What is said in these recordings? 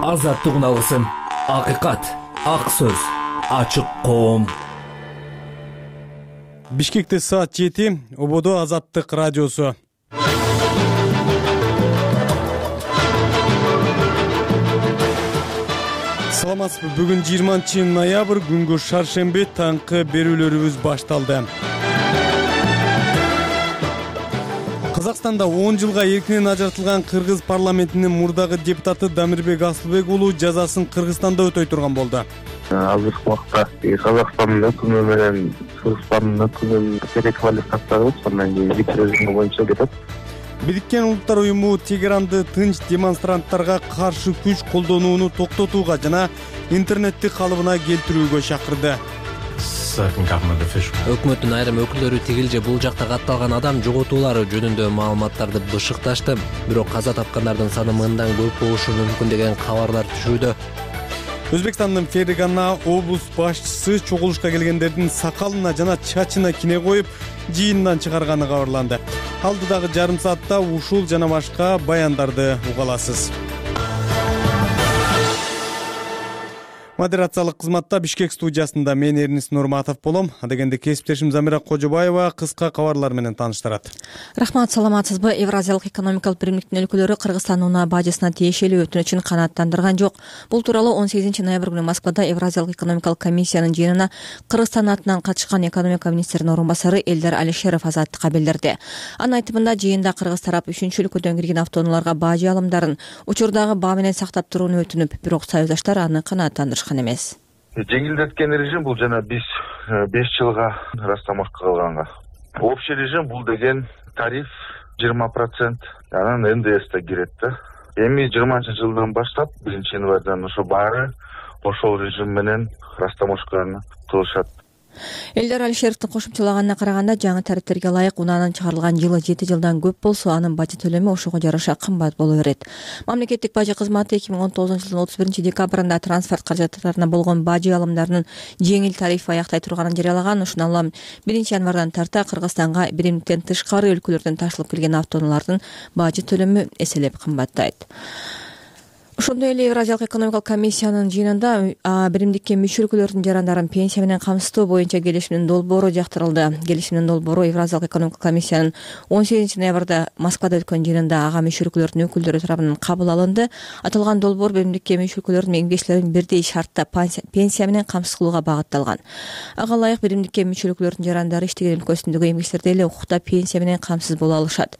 Азаттык алгысым, акыйкат, ак сөз, ачык коом. Бишкекте саат 7, Ободо Азаттык радиосу. Саламатсызбы, бүгүн 20-ноябрь, күнгө шаршемби, таңкы берүүлөрүбүз башталды. Казакстанда 10 жылга эркинен ажыратылган кыргыз парламентинин мурдагы депутаты Дамирбек Асылбек уулу жазасын Кыргызстанда өтөй турган болду. Азыркы убакта Казакстандын өкүмү менен Кыргызстандын өкүмүнүн переквалификацияланып, андан кийин вице режим боюнча кетет. Бириккен Улуттар уюму Тегеранды тынч демонстранттарга каршы күч колдонууну токтотууга жана интернетти калыбына келтирүүгө чакырды. Өкмөттүн айрым өкүлдөрү тигил же бул жакта катталган адам жоготуулары жөнүндө маалыматтарды бышыкташты. Бирок каза тапкандардын саны мындан көп болушу мүмкүн деген кабарлар түшүүдө. Өзбекстандын Фергана облус башчысы чогулушка келгендердин сакалына жана чачына кине коюп, жыйындан чыгарганы кабарланды. Алдыдагы жарым саатта ушул жана башка баяндарды уга аласыз. Модерациялык кызматта Бишкек студиясында мен Эрнис Нурматов болом. Адегенде кесиптешим Замира Кожобаева кыска кабарлар менен тааныштырат. Рахмат, саламатсызбы? Евразиялык экономикалык биримдиктин өлкөлөрү Кыргызстан унаа бажысына тиешелүү өтүнүчүн канааттандырган жок. Бул тууралуу 18-ноябрь күнү Москвада Евразиялык экономикалык комиссиянын жыйынына Кыргызстан атынан катышкан экономика министринин орун басары Элдар Алишеров азаттыкка билдирди. Анын айтымында жыйында кыргыз тарап 3-чү өлкөдөн кирген автоунааларга бажы алымдарын учурдагы баа менен сактап турууну өтүнүп, бирок союздаштар аны канааттандырышкан эмес. Жеңилдеткен режим бул жана биз 5 жылга растамашка кылганга. Общий режим бул деген тариф 20%, анан НДС да кирет да. Эми 20-жылдан баштап 1-январдан ошо баары ошол режим менен растамашканы кылышат. Элдар Алишеровдун кошумчалаганына караганда, жаңы тарифтерге ылайык унаанын чыгарылган жылы 7 жылдан көп болсо, анын бажы төлөмү ошого жараша кымбат боло берет. Мамлекеттик бажы кызматы 2019-жылдын 31 декабрында транспорт каражаттарына болгон бажы алымдарынын жеңил тарифи аяктай турганын жарыялаган. Ушуну алам 1-январдан тарта Кыргызстанга биримдиктен тышкары өлкөлөрдөн ташылып келген автоунаалардын бажы төлөмү эселеп кымбаттайт. Ошондой эле Евразиялык экономикалык комиссиянын жыйынында биримдикке мүчө өлкөлөрдүн жарандарын пенсия менен камсыздоо боюнча келишимдин долбоору жактырылды. Келишимдин долбоору Евразиялык экономикалык комиссиянын 18-ноябрда Москвада өткөн жыйынында ага мүчө өлкөлөрдүн өкүлдөрү тарабынан кабыл алынды. Аталган долбоор биримдикке мүчө өлкөлөрдүн меңгедечилерин бирдей шартта пенсия менен камсыз кылууга багытталган. Ага ылайык биримдикке мүчө өлкөлөрдүн жарандары иштеген өлкөсүндөгү эмгичтерде эле укукта пенсия менен камсыз боло алышат.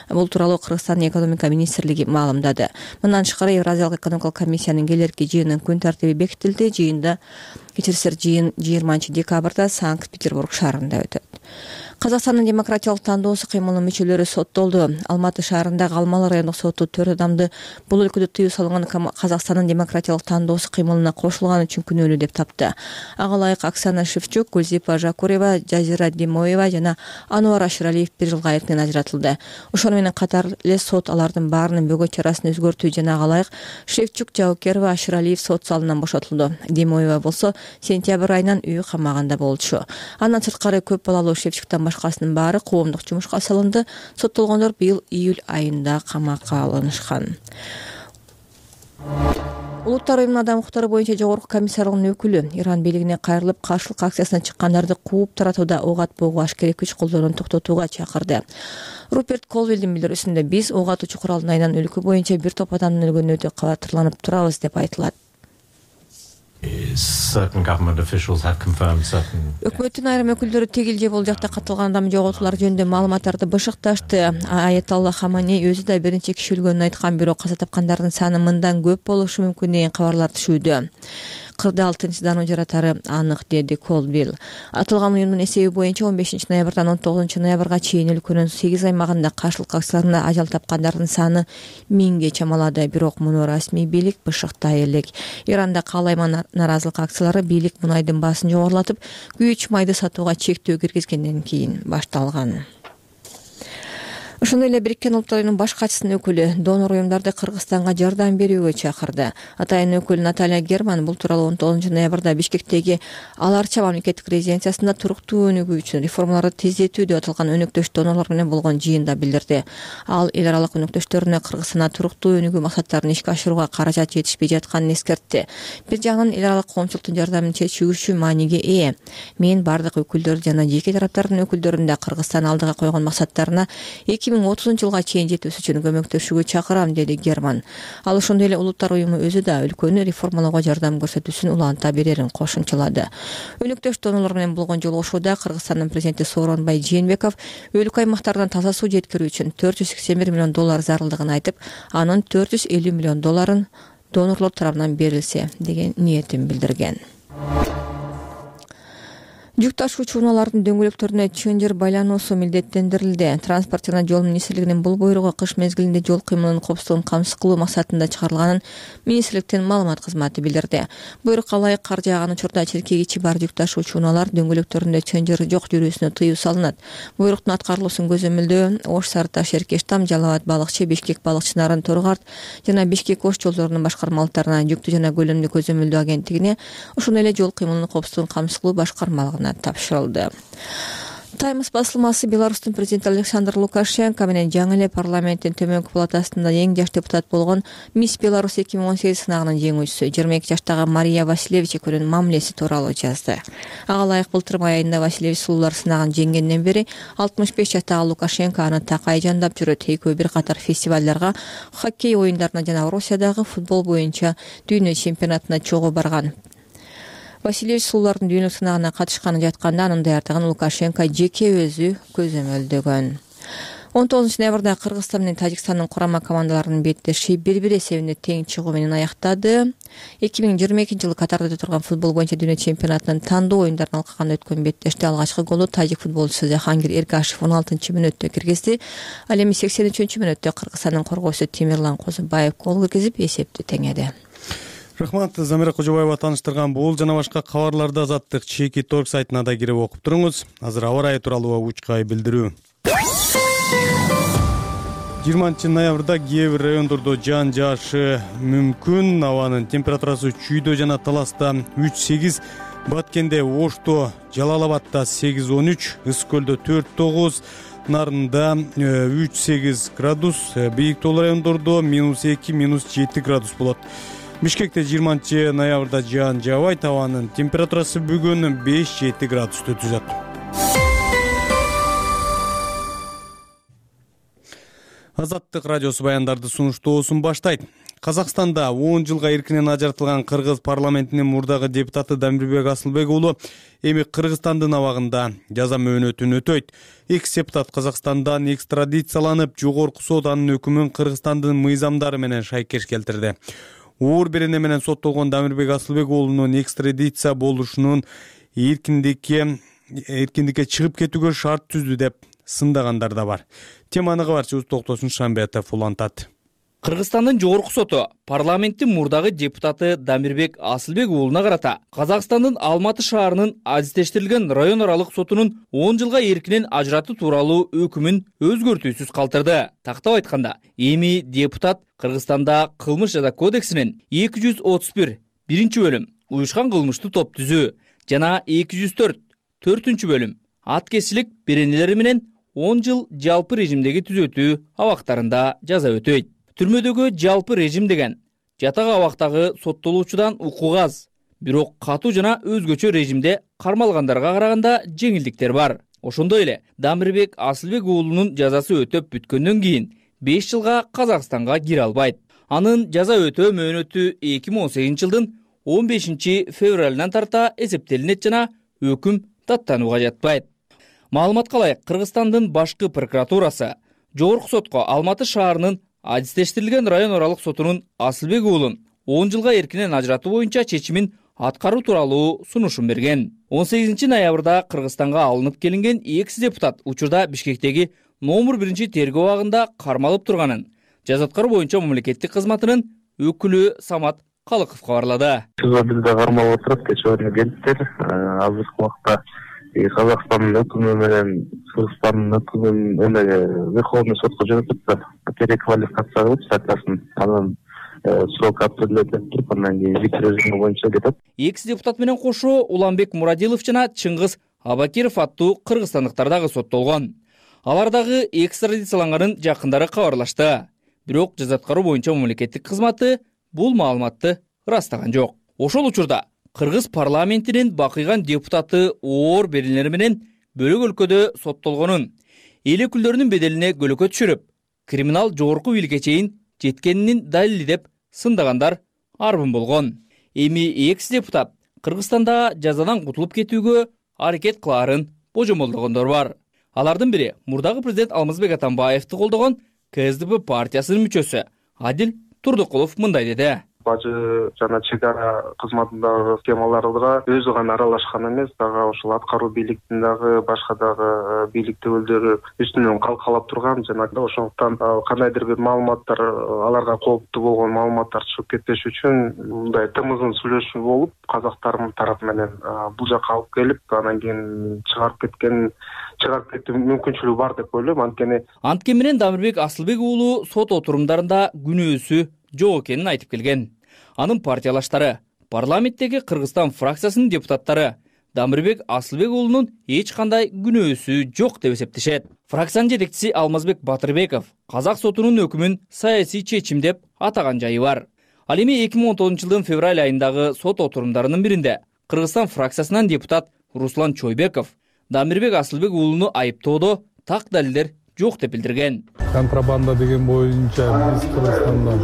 Бул тууралуу Кыргызстандын экономика министрлиги маалымдады. Мындан тышкары Евразиялык экономикалык комиссиянын келерки жыйынын күн тартиби бекитилди. Жыйында жыйын 20 декабрда Санкт-Петербург шаарында өтөт. Казакстандын демократиялык тандоосу кыймылынын мүчөлөрү соттолду. Алматы шаарындагы Алмалы райондук соту 4 адамды бул өлкөдө тыюу салынган Казакстандын демократиялык тандоосу кыймылына кошулган үчүн күнөөлүү деп тапты. Ага ылайык Оксана Шевчук, Гүлзипа Жакурева, Жазира Демоева жана Ануар Ашыралиев 1 жылга эркинен ажыратылды. Ошону менен катар эле сот алардын баарынын бөгөт чарасын өзгөртүү жана ага ылайык Шевчук, Жаукерова, Ашыралиев сот залынан бошотулду. Демоева болсо сентябрь айынан үй камагында болчу. Андан сырткары көп балалуу Шевчуктан башкасынын баары коомдук жумушка салынды. Соттолгондор быйыл июль айында камакка алынышкан. Улуттар уюмунун адам укуктары боюнча жогорку комиссарынын өкүлү Иран бийлигине кайрылып, каршылык акциясына чыккандарды кууп таратууда ок атпоого ашкерей күч колдонууну токтотууга чакырды. Руперт Колвиллдин билдирүүсүндө биз ок атуучу куралдын айынан өлкө боюнча бир топ адамдын өлгөнүнө өтө кабатырланып турабыз деп айтылат. Өкмөттүн айрым өкүлдөрү тигил же бул жакта катталган адам жоготуулары жөнүндө маалыматтарды бышыкташты. Аятолла Хаманей өзү да биринчи киши өлгөнүн айткан, бирок каза тапкандардын саны мындан көп болушу мүмкүн деген кабарлар түшүүдө. Кырдаал тынчсыздануу жаратары анык, деди Колвилл. Аталган уюмдун эсеби боюнча 15-ноябрдан 19-ноябрга чейин өлкөнүн 8 аймагында каршылык акцияларында ажал тапкандардын саны 1000ге чамалады. Бирок муну расмий бийлик бышыктай элек. Иранда каалайма наразылык акциялары бийлик мунайдын баасын жогорулатып, күйүүчү майды сатууга чектөө киргизгенден кийин башталган. Ошондой эле Бириккен Улуттар Уюмунун баш катчысынын өкүлү донор уюмдарды Кыргызстанга жардам берүүгө чакырды. Атайын өкүл Наталья Герман бул тууралуу 19 ноябрда Бишкектеги Ал Арча мамлекеттик резиденциясында туруктуу өнүгүү үчүн реформаларды тездетүү деп аталган өнөктөш донорлор менен болгон жыйында билдирди. Ал эл аралык өнөктөштөрүнө Кыргызстанда туруктуу өнүгүү максаттарын ишке ашырууга каражат жетишпей жатканын эскертти. Бир жагынан эл аралык коомчулуктун жардамын чечүүчү мааниге ээ. Мен бардык өкүлдөр жана жеке тараптардын өкүлдөрүн да Кыргызстан алдыга койгон максаттарына 2030 жылга чейин жетүүсү үчүн көмөктөшүүгө чакырам, деди Герман. Ал ошондой эле Улуттар Уюму өзү да өлкөнү реформалоого жардам көрсөтүүсүн уланта берерин кошумчалады. Өнөктөш донорлор менен болгон жолугушууда Кыргызстандын президенти Сооронбай Жээнбеков өлкө аймактардан таза суу жеткирүү үчүн $481 миллион зарылдыгын айтып, анын $450 миллион донорлор тарабынан берилсе деген ниетин билдирген. Жүк ташуучу унаалардын дөңгөлөктөрүнө чынжыр байлаnuусу милдеттендирилди. Транспорт жана жол министрлигинин бул буйругу кыш мезгилинде жол кыймылынын коопсуздугун камсыз кылуу максатында чыгарылганын министрликтин маалымат кызматы билдирди. Буйрукка ылайык кар жааган учурда чиркегичи бар жүк ташуучу унаалар дөңгөлөктөрүндө чынжыр жок жүрүүсүнө тыюу салынат. Буйруктун аткарылуусун көзөмөлдөө Ош, Сарыташ, Эркештам, Жалал Абад, Балыкчы, Бишкек, Балыкчы Нарын, Торгарт жана Бишкек Ош жолдорунун башкармалыктарына, жүктү жана көлөмдү көзөмөлдөө агенттигине, ошондой эле жол кыймылынын коопсуздугун камсыз кылуу башкармалыгына тапшырылды. Таймс басылмасы Беларустун президенти Александр Лукашенко менен жаңы эле парламенттин төмөнкү палатасында эң жаш депутат болгон Мисс Беларусь 2018 сынагынын жеңүүчүсү 22 жаштагы Мария Василевич экөөнүн мамилеси тууралуу жазды. Ага ылайык былтыр май айында Василевич сулуулар сынагын жеңгенден бери 65 жаштагы Лукашенко аны такай жандап жүрөт. Экөө бир катар фестивалдарга, хоккей оюндарына жана Россиядагы футбол боюнча дүйнө чемпионатына чогуу барган. Василевич сулуулардын дүйнөлүк сынагына катышканы жатканда анын даярдыгын Лукашенко жеке өзү көзөмөлдөгөн. 19 ноябрда Кыргызстан менен Тажикстандын курама командаларынын беттеши 1-1 эсебинде тең чыгуу менен аяктады. 2022 жылы Катарда өтө турган футбол боюнча дүйнө чемпионатынын тандоо оюндарын алкаганда өткөн беттеште алгачкы голду тажик футболчусу Жахангир Эргашев 16-мүнөттө киргизди. Ал эми 83-мүнөттө Кыргызстандын коргоосу Темирлан Козубаев гол киргизип эсепти теңеди. Рахмат, Замира Кожобаева тааныштырган бул жана башка кабарларды Азаттык Чеки Торг сайтына да кирип окуп туруңуз. Азыр аба ырайы тууралуу учкай билдирүү. 20 ноябрда кээ бир райондордо жаан жаашы мүмкүн. Абанын температурасы Чүйдө жана Таласта 3-8, Баткенде, Ошто, Жалал Абадда 8-13, Ысык көлдө 4-9, Нарында 3-8 градус, бийик тоолуу райондордо -2, -7 градус болот. Бишкекте 20 ноябрда жаан жаабайт, абанын температурасы бүгүн 5-7 градусту түзөт. Азаттык радиосу баяндарды сунуштоосун баштайт. Казакстанда 10 жылга эркинен ажыратылган кыргыз парламентинин мурдагы депутаты Дамирбек Асылбек уулу эми Кыргызстандын абагында жаза мөөнөтүн өтөйт. Экс депутат Казакстандан экстрадицияланып, жогорку сот анын өкүмүн Кыргызстандын мыйзамдары менен шайкеш келтирди. Оор берене менен соттолгон Дамирбек Асылбек уулунун экстрадиция болушунун эркиндикке чыгып кетүүгө шарт түздү деп сындагандар да бар. Теманы кабарчыбыз Токтосун Шамбетов улантат. Кыргызстандын жогорку соту парламенттин мурдагы депутаты Дамирбек Асылбек уулуна карата Казакстандын Алматы шаарынын азиздештирилген район аралык сотунун 10 жылга эркинен ажыратуу тууралуу өкүмүн өзгөртүүсүз калтырды. Тактап айтканда, эми депутат Кыргызстанда кылмыш жаза кодексинин 231 биринчи бөлүм уюшкан кылмыштуу топ түзүү жана 204 4-үнчү бөлүм аткезчилик беренелери менен 10 жыл жалпы режимдеги түзөтүү абактарында жаза өтөйт. Түрмөдөгү жалпы режим деген жатак абактагы соттолуучудан укук аз, бирок катуу жана өзгөчө режимде кармалгандарга караганда жеңилдиктер бар. Ошондой эле Дамирбек Асылбек уулунун жазасы өтөп бүткөндөн кийин 5 жылга Казакстанга кире албайт. Анын жаза өтөө мөөнөтү 2018 жылдын 15 февралынан тарта эсептелинет жана өкүм даттанууга жатпайт. Маалыматка ылайык, Кыргызстандын башкы прокуратурасы жогорку сотко Алматы шаарынын азиздештирилген район аралык сотунун Асылбек уулун 10 жылга эркинен ажыратуу боюнча чечимин аткаруу тууралуу сунушун берген. 18 ноябрда Кыргызстанга алынып келинген экс депутат учурда Бишкектеги номер 1 тергөө абагында кармалып турганын жаза аткаруу боюнча мамлекеттик кызматынын өкүлү Самат Калыков кабарлады. Бизде кармалып отуруп, кечээ келиптир. Азыркы убакта Казакстандын өкүмү менен Кыргызстандын өкүмүн Верховный сотко жөнөтүп переквалификация кылып статьясын анан срок определять туруп андан кийин виц режими боюнча кетет. Экс депутат менен кошо Уланбек Мурадилов жана Чыңгыз Абакиров аттуу кыргызстандыктар дагы соттолгон. Алар дагы экстрадицияланганын жакындары кабарлашты. Бирок жаза аткаруу боюнча мамлекеттик кызматы бул маалыматты ырастаган жок. Ошол учурда Кыргыз парламентинин бакыйган депутаты оор берилери менен бөлөк өлкөдө соттолгонун, эл өкүлдөрүнүн беделине көлөкө түшүрүп, криминал жогорку бийликке чейин жеткенин далилдеп сындагандар арбын болгон. Эми экс депутат Кыргызстанда жазадан кутулуп кетүүгө аракет кылаарын божомолдогондор бар. Алардын бири мурдагы президент Алмазбек Атамбаевди колдогон КСДП партиясынын мүчөсү Адил Турдукулов мындай деди. Бажы жана чек ара кызматындагы схемаларга өзү гана аралашкан эмес, дагы ошол аткаруу бийликтин дагы башка дагы бийлик өкүлдөрү үстүнөн калкалап турган жана ошондуктан кандайдыр бир маалыматтар аларга кооптуу болгон маалыматтар чыгып кетпеш үчүн мындай тымызын сүйлөшүү болуп, казактардын тарапы менен бул жакка алып келип, анан кийин чыгарып кетүү мүмкүнчүлүгү бар деп ойлойм. Анткени менен Дамирбек Асылбек уулу сот отурумдарында күнөөсү жок экенин айтып келген. Анын партиялаштары, парламенттеги Кыргызстан фракциясынын депутаттары Дамирбек Асылбек уулунун эч кандай күнөөсү жок деп эсептешет. Фракциянын жетекчиси Алмазбек Батырбеков казак сотунун өкүмүн саясий чечим деп атаган жайы бар. Ал эми 2019 жылдын февраль айындагы сот отурумдарынын биринде Кыргызстан фракциясынан депутат Руслан Чойбеков Дамирбек Асылбек уулуну айыптоодо так далилдер жок деп билдирген. Контрабанда деген боюнча биз Кыргызстандан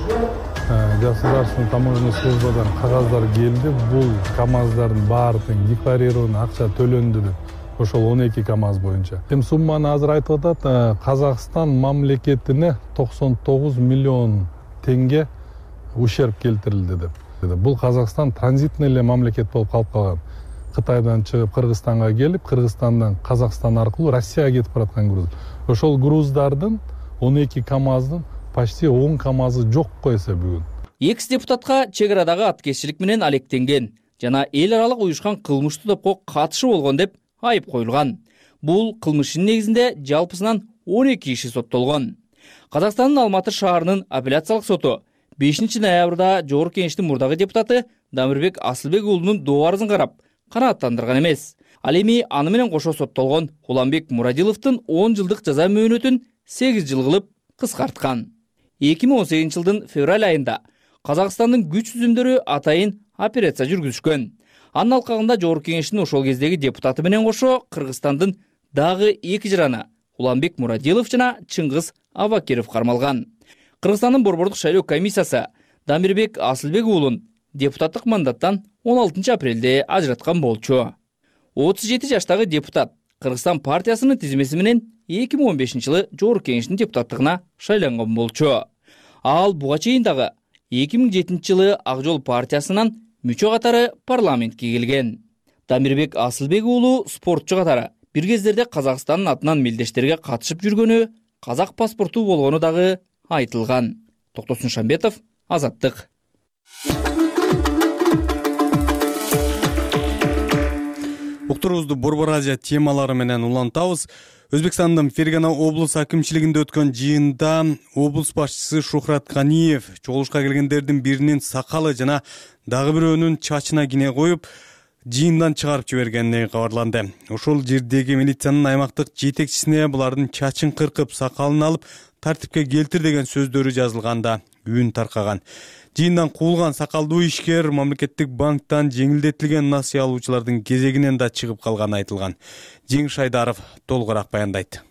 государственный таможенный службадан кагаздар келди. Бул КАМАЗдардын баардыгын декларированный акча төлөндү деп. Ошол 12 КАМАЗ боюнча. Эми сумманы азыр айтып атат. Казакстан мамлекетине 99 миллион тенге ущерб келтирилди деп. Бул Казакстан транзитный эле мамлекет болуп калып калган. Кытайдан чыгып Кыргызстанга келип, Кыргызстандан Казакстан аркылуу Россияга кетип бараткан груз. Ошол груздардын 12 КАМАЗдын почти 10 КАМАЗы жок койсо бүгүн. Экс депутатка чек арадагы аткезчилик менен алектенген жана эл аралык уюшкан кылмыштуу топко катышы болгон деп айып коюлган. Бул кылмыштын негизинде жалпысынан 12 киши соттолгон. Казакстандын Алматы шаарынын апелляциялык соту 5 ноябрда Жогорку Кеңештин мурдагы депутаты Дамирбек Асылбек уулунун доо арызын карап, канааттандырган эмес. Ал эми аны менен кошо соттолгон Уланбек Мурадиловдун 10 жылдык жаза мөөнөтүн 8 жыл кылып кыскарткан. 2018 жылдын февраль айында Казакстандын күч түзүмдөрү атайын операция жүргүзүшкөн. Анын алкагында Жогорку Кеңештин ошол кездеги депутаты менен кошо Кыргызстандын дагы 2 жараны Уланбек Мурадилов жана Чыңгыз Абакиров кармалган. Кыргызстандын борбордук шайлоо комиссиясы Дамирбек Асылбек уулун депутаттык мандаттан 16 апрелде ажыраткан болчу. 37 жаштагы депутат Кыргызстан партиясынын тизмеси менен 2015 жылы Жогорку Кеңештин депутаттыгына шайланган болчу. Ал буга чейин дагы 2007 жылы Ак Жол партиясынан мүчө катары парламентке келген. Дамирбек Асылбек уулу спортчу катары бир кездерде Казакстандын атынан мелдештерге катышып жүргөнү, казак паспорту болгону дагы айтылган. Токтосун Шамбетов, Азаттык. Уктуруубузду Борбор Азия темалары менен улантабыз. Өзбекстандын Фергана облус акимчилигинде өткөн жыйында облус башчысы Шухрат Ганиев чогулушка келгендердин биринин сакалы жана дагы бирөөнүн чачына кине коюп, жыйындан чыгарып жибергени кабарланды. Ошол жердеги милициянын аймактык жетекчисине булардын чачын кыркып, сакалын алып, тартипке келтир деген сөздөрү жазылганда үн таркаган. Жыйындан куулган сакалдуу ишкер мамлекеттик банктан жеңилдетилген насыя алуучулардын кезегинен да чыгып калганы айтылган. Жеңиш Айдаров толугураак баяндайт.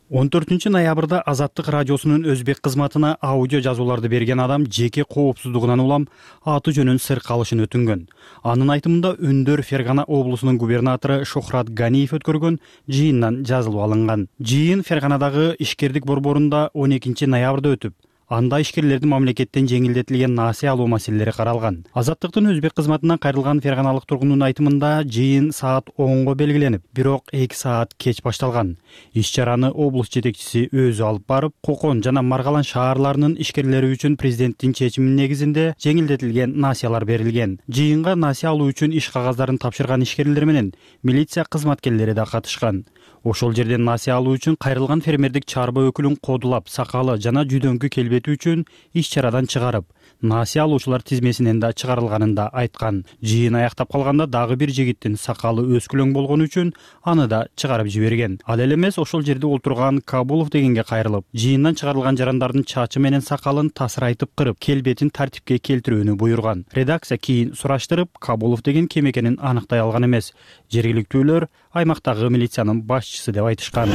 14 ноябрда Азаттык радиосунун өзбек кызматына аудио жазууларды берген адам жеке коопсуздугунан улам аты жөнүн сыр калышын өтүнгөн. Анын айтымында үндөр Фергана облусунун губернатору Шухрат Ганиев өткөргөн жыйындан жазылып алынган. Жыйын Ферганадагы ишкердик борборунда 12 ноябрда өтүп, Анда ишкерлердин мамлекеттен жеңилдетилген насыя алуу маселелери каралган. Азаттыктын өзбек кызматынан кайрылган ферганалык тургундун айтымында жыйын саат 10го белгиленип, бирок 2 саат кеч башталган. Иш-чараны облус жетекчиси өзү алып барып, Кокон жана Маргалан шаарларынын ишкерлери үчүн президенттин чечиминин негизинде жеңилдетилген насыялар берилген. Жыйынга насыя алуу үчүн иш кагаздарын тапшырган ишкерлер менен милиция кызматкерлери да катышкан. Ошол жерден насыя алуу үчүн кайрылган фермердик чарба өкүлүн кодулап, сакалы жана жүдөңкү келбети үчүн иш-чарадан чыгарып, насыя алуучулар тизмесинен да чыгарылганын да айткан. Жыйын аяктап калганда дагы бир жигиттин сакалы өскүлөң болгону үчүн аны да чыгарып жиберген. Ал эле эмес, ошол жерде отурган Кабулов дегенге кайрылып, жыйындан чыгарылган жарандардын чачы менен сакалын тасырайтып кырып, келбетин тартипке келтирүүнү буйруган. Редакция кийин сураштырып, Кабулов деген ким экенин аныктай алган эмес. Жергиликтүүлөр аймактагы милициянын башчысы деп айтышкан.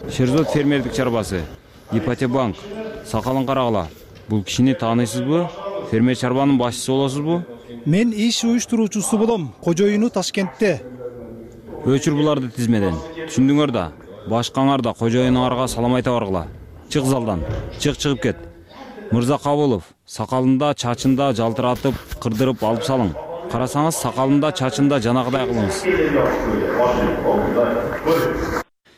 Шерзод фермердик чарбасы, Ипотебанк, сакалын карагыла. Бул кишини тааныйсызбы? Фермер чарбанын башчысы болосузбу? Мен иш уюштуруучусу болом. Кожоюну Ташкентте. Өчүр буларды тизмеден. Түшүндүңөр да. Башкаңар да кожоюнуңарга салам айта баргыла. Чык залдан. Чыгып кет. Мырза Кабулов, сакалында, чачында жалтыратып, кырдырып алып салың. Карасаңыз, сакалында, чачында жанагыдай кылыңыз.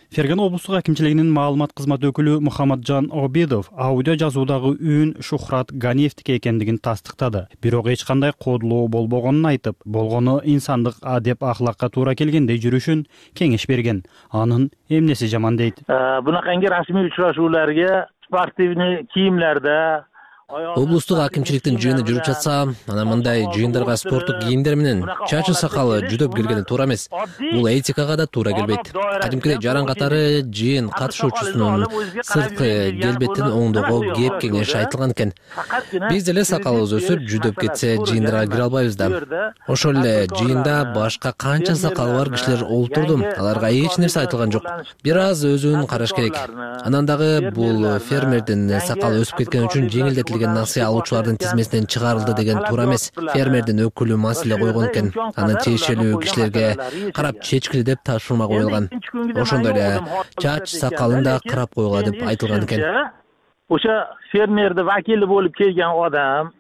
Фергана облустук акимчилигинин маалымат кызматы өкүлү Мухаммаджан Обидов аудио жазуудагы үн Шухрат Ганиевдики экендигин тастыктады. Бирок эч кандай кодулоо болбогонун айтып, болгону инсандык адеп ахлакка туура келгендей жүрүшүн кеңеш берген. Анын эмнеси жаман дейт. Бунаканги расмий учурашууларга спортивный кийимлерде облустук акимчиликтин жыйыны жүрүп жатса, анан мындай жыйындарга спорттук кийимдер менен чачы сакалы жүдөп келгени туура эмес. Бул этикага да туура келбейт. Кадимкидей жаран катары жыйын катышуучусунун сырткы келбетин оңдоого кеп кеңеш айтылган экен. Биз деле сакалыбыз өсүп, жүдөп кетсе жыйындарга кире албайбыз да. Ошол эле жыйында башка канча сакалы бар кишилер олтурду. Аларга эч нерсе айтылган жок. Бир аз өзүн караш керек. Анан дагы бул фермердин сакалы өсүп кеткен үчүн жеңилдетилген насыя алуучулардын тизмесинен чыгарылды деген туура эмес. Фермердин өкүлү маселе койгон экен. Анын тиешелүү кишилерге карап чечкиле деп тапшырма коюлган. Ошондой эле чач сакалын да карап койгула деп айтылган экен. Ошо фермердин вакили болуп келген адам.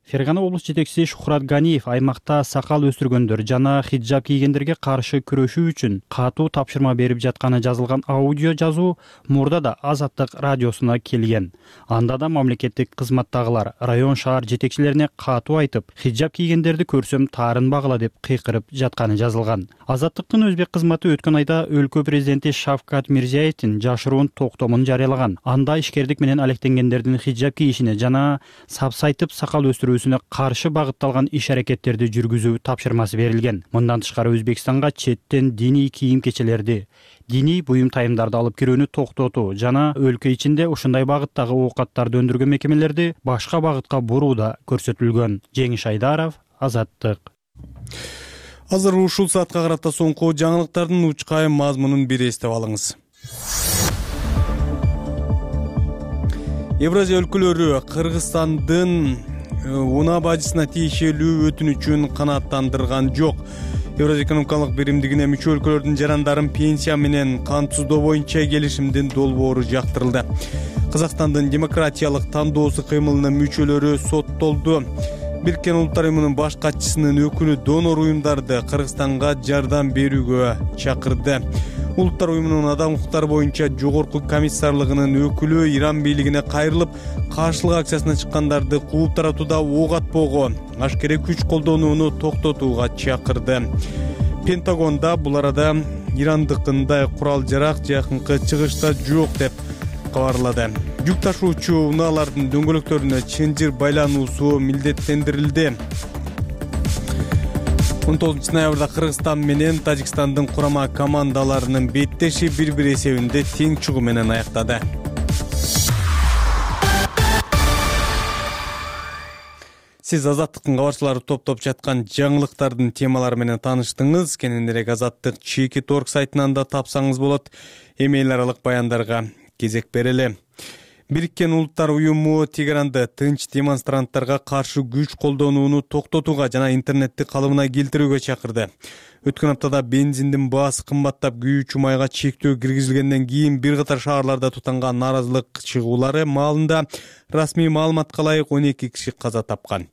Фергана облус жетекчиси Шухрат Ганиев аймакта сакал өстүргөндөр жана хиджаб кийгендерге каршы күрөшүү үчүн катуу тапшырма берип жатканы жазылган аудио жазуу мурда да Азаттык радиосуна келген. Анда да мамлекеттик кызматтагылар район шаар жетекчилерине катуу айтып, хиджаб кийгендерди көрсөм таарынбагыла деп кыйкырып жатканы жазылган. Азаттыктын өзбек кызматы өткөн айда өлкө президенти Шавкат Мирзиевдин жашыруун токтомун жарыялаган. Анда ишкердик менен алектенгендердин хиджаб кийишине жана сапсайтып сакал өстүрүүсүнө каршы багытталган иш-аракеттерди жүргүзүү тапшырмасы берилген. Мындан тышкары Өзбекстанга четтен диний кийим кечелерди, диний буюм тайымдарды алып кирүүнү токтотуу жана өлкө ичинде ушундай багыттагы оокаттарды өндүргөн мекемелерди башка багытка буруу да көрсөтүлгөн. Жеңиш Айдаров, Азаттык. Азыр ушул саатка карата соңку жаңылыктардын учкайым мазмунун бир эстеп алыңыз. Евразия өлкөлөрү Кыргызстандын унаа бажысына тиешелүү өтүнүчүн канааттандырган жок. Евразия экономикалык биримдигине мүчө өлкөлөрдүн жарандарын пенсия менен кантсыздоо боюнча келишимдин долбоору жактырылды. Казакстандын демократиялык тандоосу кыймылынын мүчөлөрү соттолду. Бириккен Улуттар уюмунун баш катчысынын өкүлү донор уюмдарды Кыргызстанга жардам берүүгө чакырды. Улуттар уюмунун адам укуктары боюнча жогорку комиссарлыгынын өкүлү Иран бийлигине кайрылып, каршылык акциясына чыккандарды кууп таратууда ок атпоого, ашкерей күч колдонууну токтотууга чакырды. Пентагонда бул арада Ирандыкындай курал-жарак жакынкы чыгышта жок деп кабарлады. Жүк ташуучу унаалардын дөңгөлөктөрүнө чынжыр байлануусу милдеттендирилди. 19 ноябрда Кыргызстан менен Тажикстандын курама командаларынын беттеши бир-бир эсебинде тең чыгуу менен аяктады. Сиз Азаттыктын кабарчылары топтоп жаткан жаңылыктардын темалары менен тааныштыңыз. Кененирээк Азаттык Чеки.org сайтынан да тапсаңыз болот. Эмейл аралык баяндарга кезек берели. Бириккен Улуттар уюму Тегеранды тынч демонстранттарга каршы күч колдонууну токтотууга жана интернетти калыбына келтирүүгө чакырды. Өткөн аптада бензиндин баасы кымбаттап, күйүүчү майга чектөө киргизилгенден кийин бир катар шаарларда тутанган нааразылык чыгуулары маалында расмий маалыматка ылайык 12 киши каза тапкан.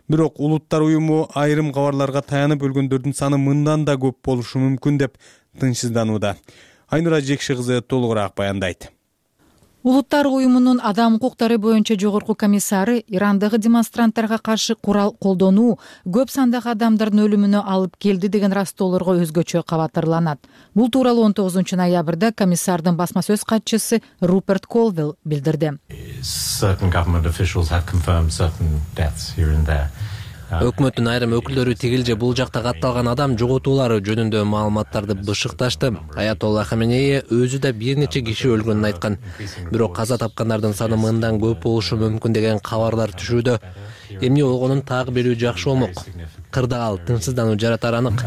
Бирок Улуттар уюму айрым кабарларга таянып өлгөндөрдүн саны мындан да көп болушу мүмкүн деп тынчсызданууда. Айнура Жекши кызы толугураак баяндайт. Улуттар уюмунун адам укуктары боюнча жогорку комиссары Ирандагы демонстранттарга каршы курал колдонуу көп сандагы адамдардын өлүмүнө алып келди деген растоолорго өзгөчө кабатырланат. Бул тууралуу 19 ноябрда комиссардын басма сөз катчысы Руперт Колвилл билдирди. Өкмөттүн айрым өкүлдөрү тигил же бул жакта катталган адам жоготуулары жөнүндө маалыматтарды бышыкташты. Аятолла Хаменеи өзү да бир нече киши өлгөнүн айткан. Бирок каза тапкандардын саны мындан көп болушу мүмкүн деген кабарлар түшүүдө. Эмне болгонун так берүү жакшы болмок. Кырдаал тынчсыздануу жаратары анык.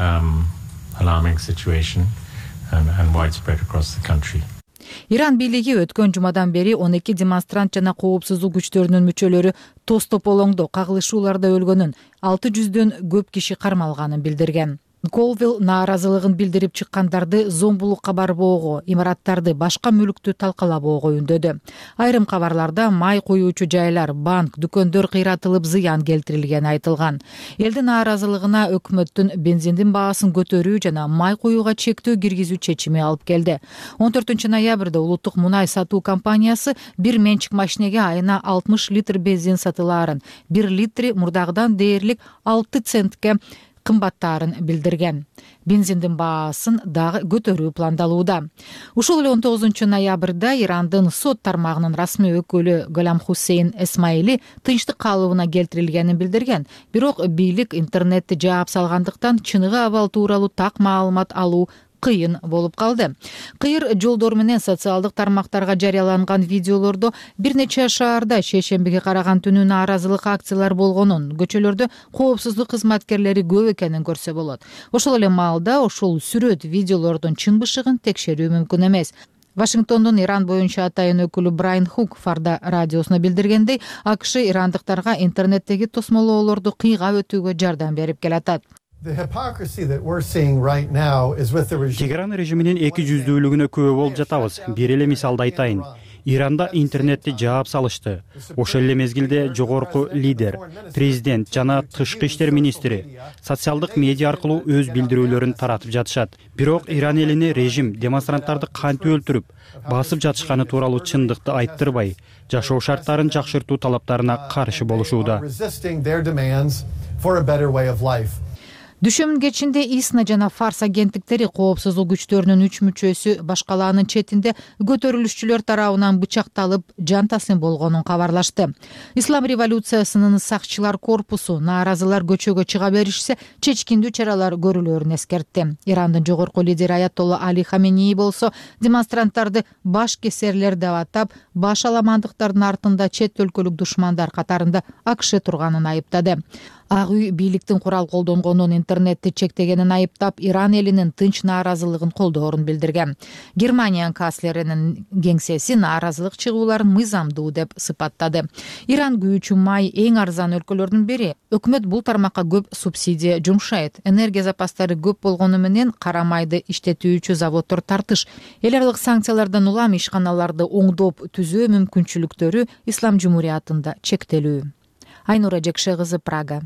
Иран бийлиги өткөн жумадан бери 12 демонстрант жана коопсуздук күчтөрүнүн мүчөлөрү тоз тополоңдо кагылышууларда өлгөнүн, 600дөн көп киши кармалганын билдирген. Колвилл нааразылыгын билдирип чыккандарды зомбулукка барбоого, имараттарды, башка мүлктү талкалабоого үндөдү. Айрым кабарларда май коюучу жайлар, банк, дүкөндөр кыйратылып зыян келтирилгени айтылган. Элдин нааразылыгына өкмөттүн бензиндин баасын көтөрүү жана май коюуга чектөө киргизүү чечими алып келди. 14 ноябрда улуттук мунай сатуу компаниясы бир менчик машинеге айына 60 литр бензин сатылаарын, 1 литри мурдагыдан дээрлик 6 центке кымбаттаарын билдирген. Бензиндин баасын дагы көтөрүү пландалууда. Ушул эле 19 ноябрда Ирандын сот тармагынын расмий өкүлү Голам Хусейн Эсмайли тынчтык калыбына келтирилгенин билдирген. Бирок бийлик интернетти жаап салгандыктан чыныгы абал тууралуу так маалымат алуу кыйын болуп калды. Кыйыр жолдор менен социалдык тармактарга жарыяланган видеолордо бир нече шаарда шейшембиге караган түнү нааразылык акциялар болгонун, көчөлөрдө коопсуздук кызматкерлери көп экенин көрсө болот. Ошол эле маалда ошол сүрөт видеолордун чын бышыгын текшерүү мүмкүн эмес. Вашингтондун Иран боюнча атайын өкүлү Брайан Хук Фарда радиосуна билдиргендей, АКШ ирандыктарга интернеттеги тосмолоолорду кыйгап өтүүгө жардам берип келатат. Тегеран режиминин эки жүздүүлүгүнө күбө болуп жатабыз. Бир эле мисалды айтайын. Иранда интернетти жаап салышты. Ошол эле мезгилде жогорку лидер, президент жана тышкы иштер министри социалдык медиа аркылуу өз билдирүүлөрүн таратып жатышат. Бирок Иран элине режим демонстранттарды кантип өлтүрүп, басып жатышканы тууралуу чындыкты айттырбай, жашоо шарттарын жакшыртуу талаптарына каршы болушууда. Дүшөмүн кечинде ИСНА жана Фарс агенттиктери коопсуздук күчтөрүнүн 3 мүчөсү башкалаанын четинде көтөрүлүшчүлөр тарабынан бычакталып, жан таслим болгонун кабарлашты. Ислам революциясынын сакчылар корпусу нааразылар көчөгө чыга беришсе, чечкиндүү чаралар көрүлөрүн эскертти. Ирандын жогорку лидери Аятолла Али Хаменеи болсо демонстранттарды баш кесерлер деп атап, баш аламандыктардын артында чет өлкөлүк душмандар катарында АКШ турганын айыптады. Ак үй бийликтин курал колдонгонун, интернетти чектегенин айыптап, Иран элинин тынч нааразылыгын колдоорун билдирген. Германиянын канцлеринин кеңсеси нааразылык чыгууларын мыйзамдуу деп сыпаттады. Иран күйүүчү май эң арзан өлкөлөрдүн бири. Өкмөт бул тармакка көп субсидия жумшайт. Энергия запастары көп болгону менен кара майды иштетүүчү заводдор тартыш. Эл аралык санкциялардан улам ишканаларды оңдоп түзөө мүмкүнчүлүктөрү Ислам Жумуриятында чектелүү. Айнура Жекши кызы, Прага.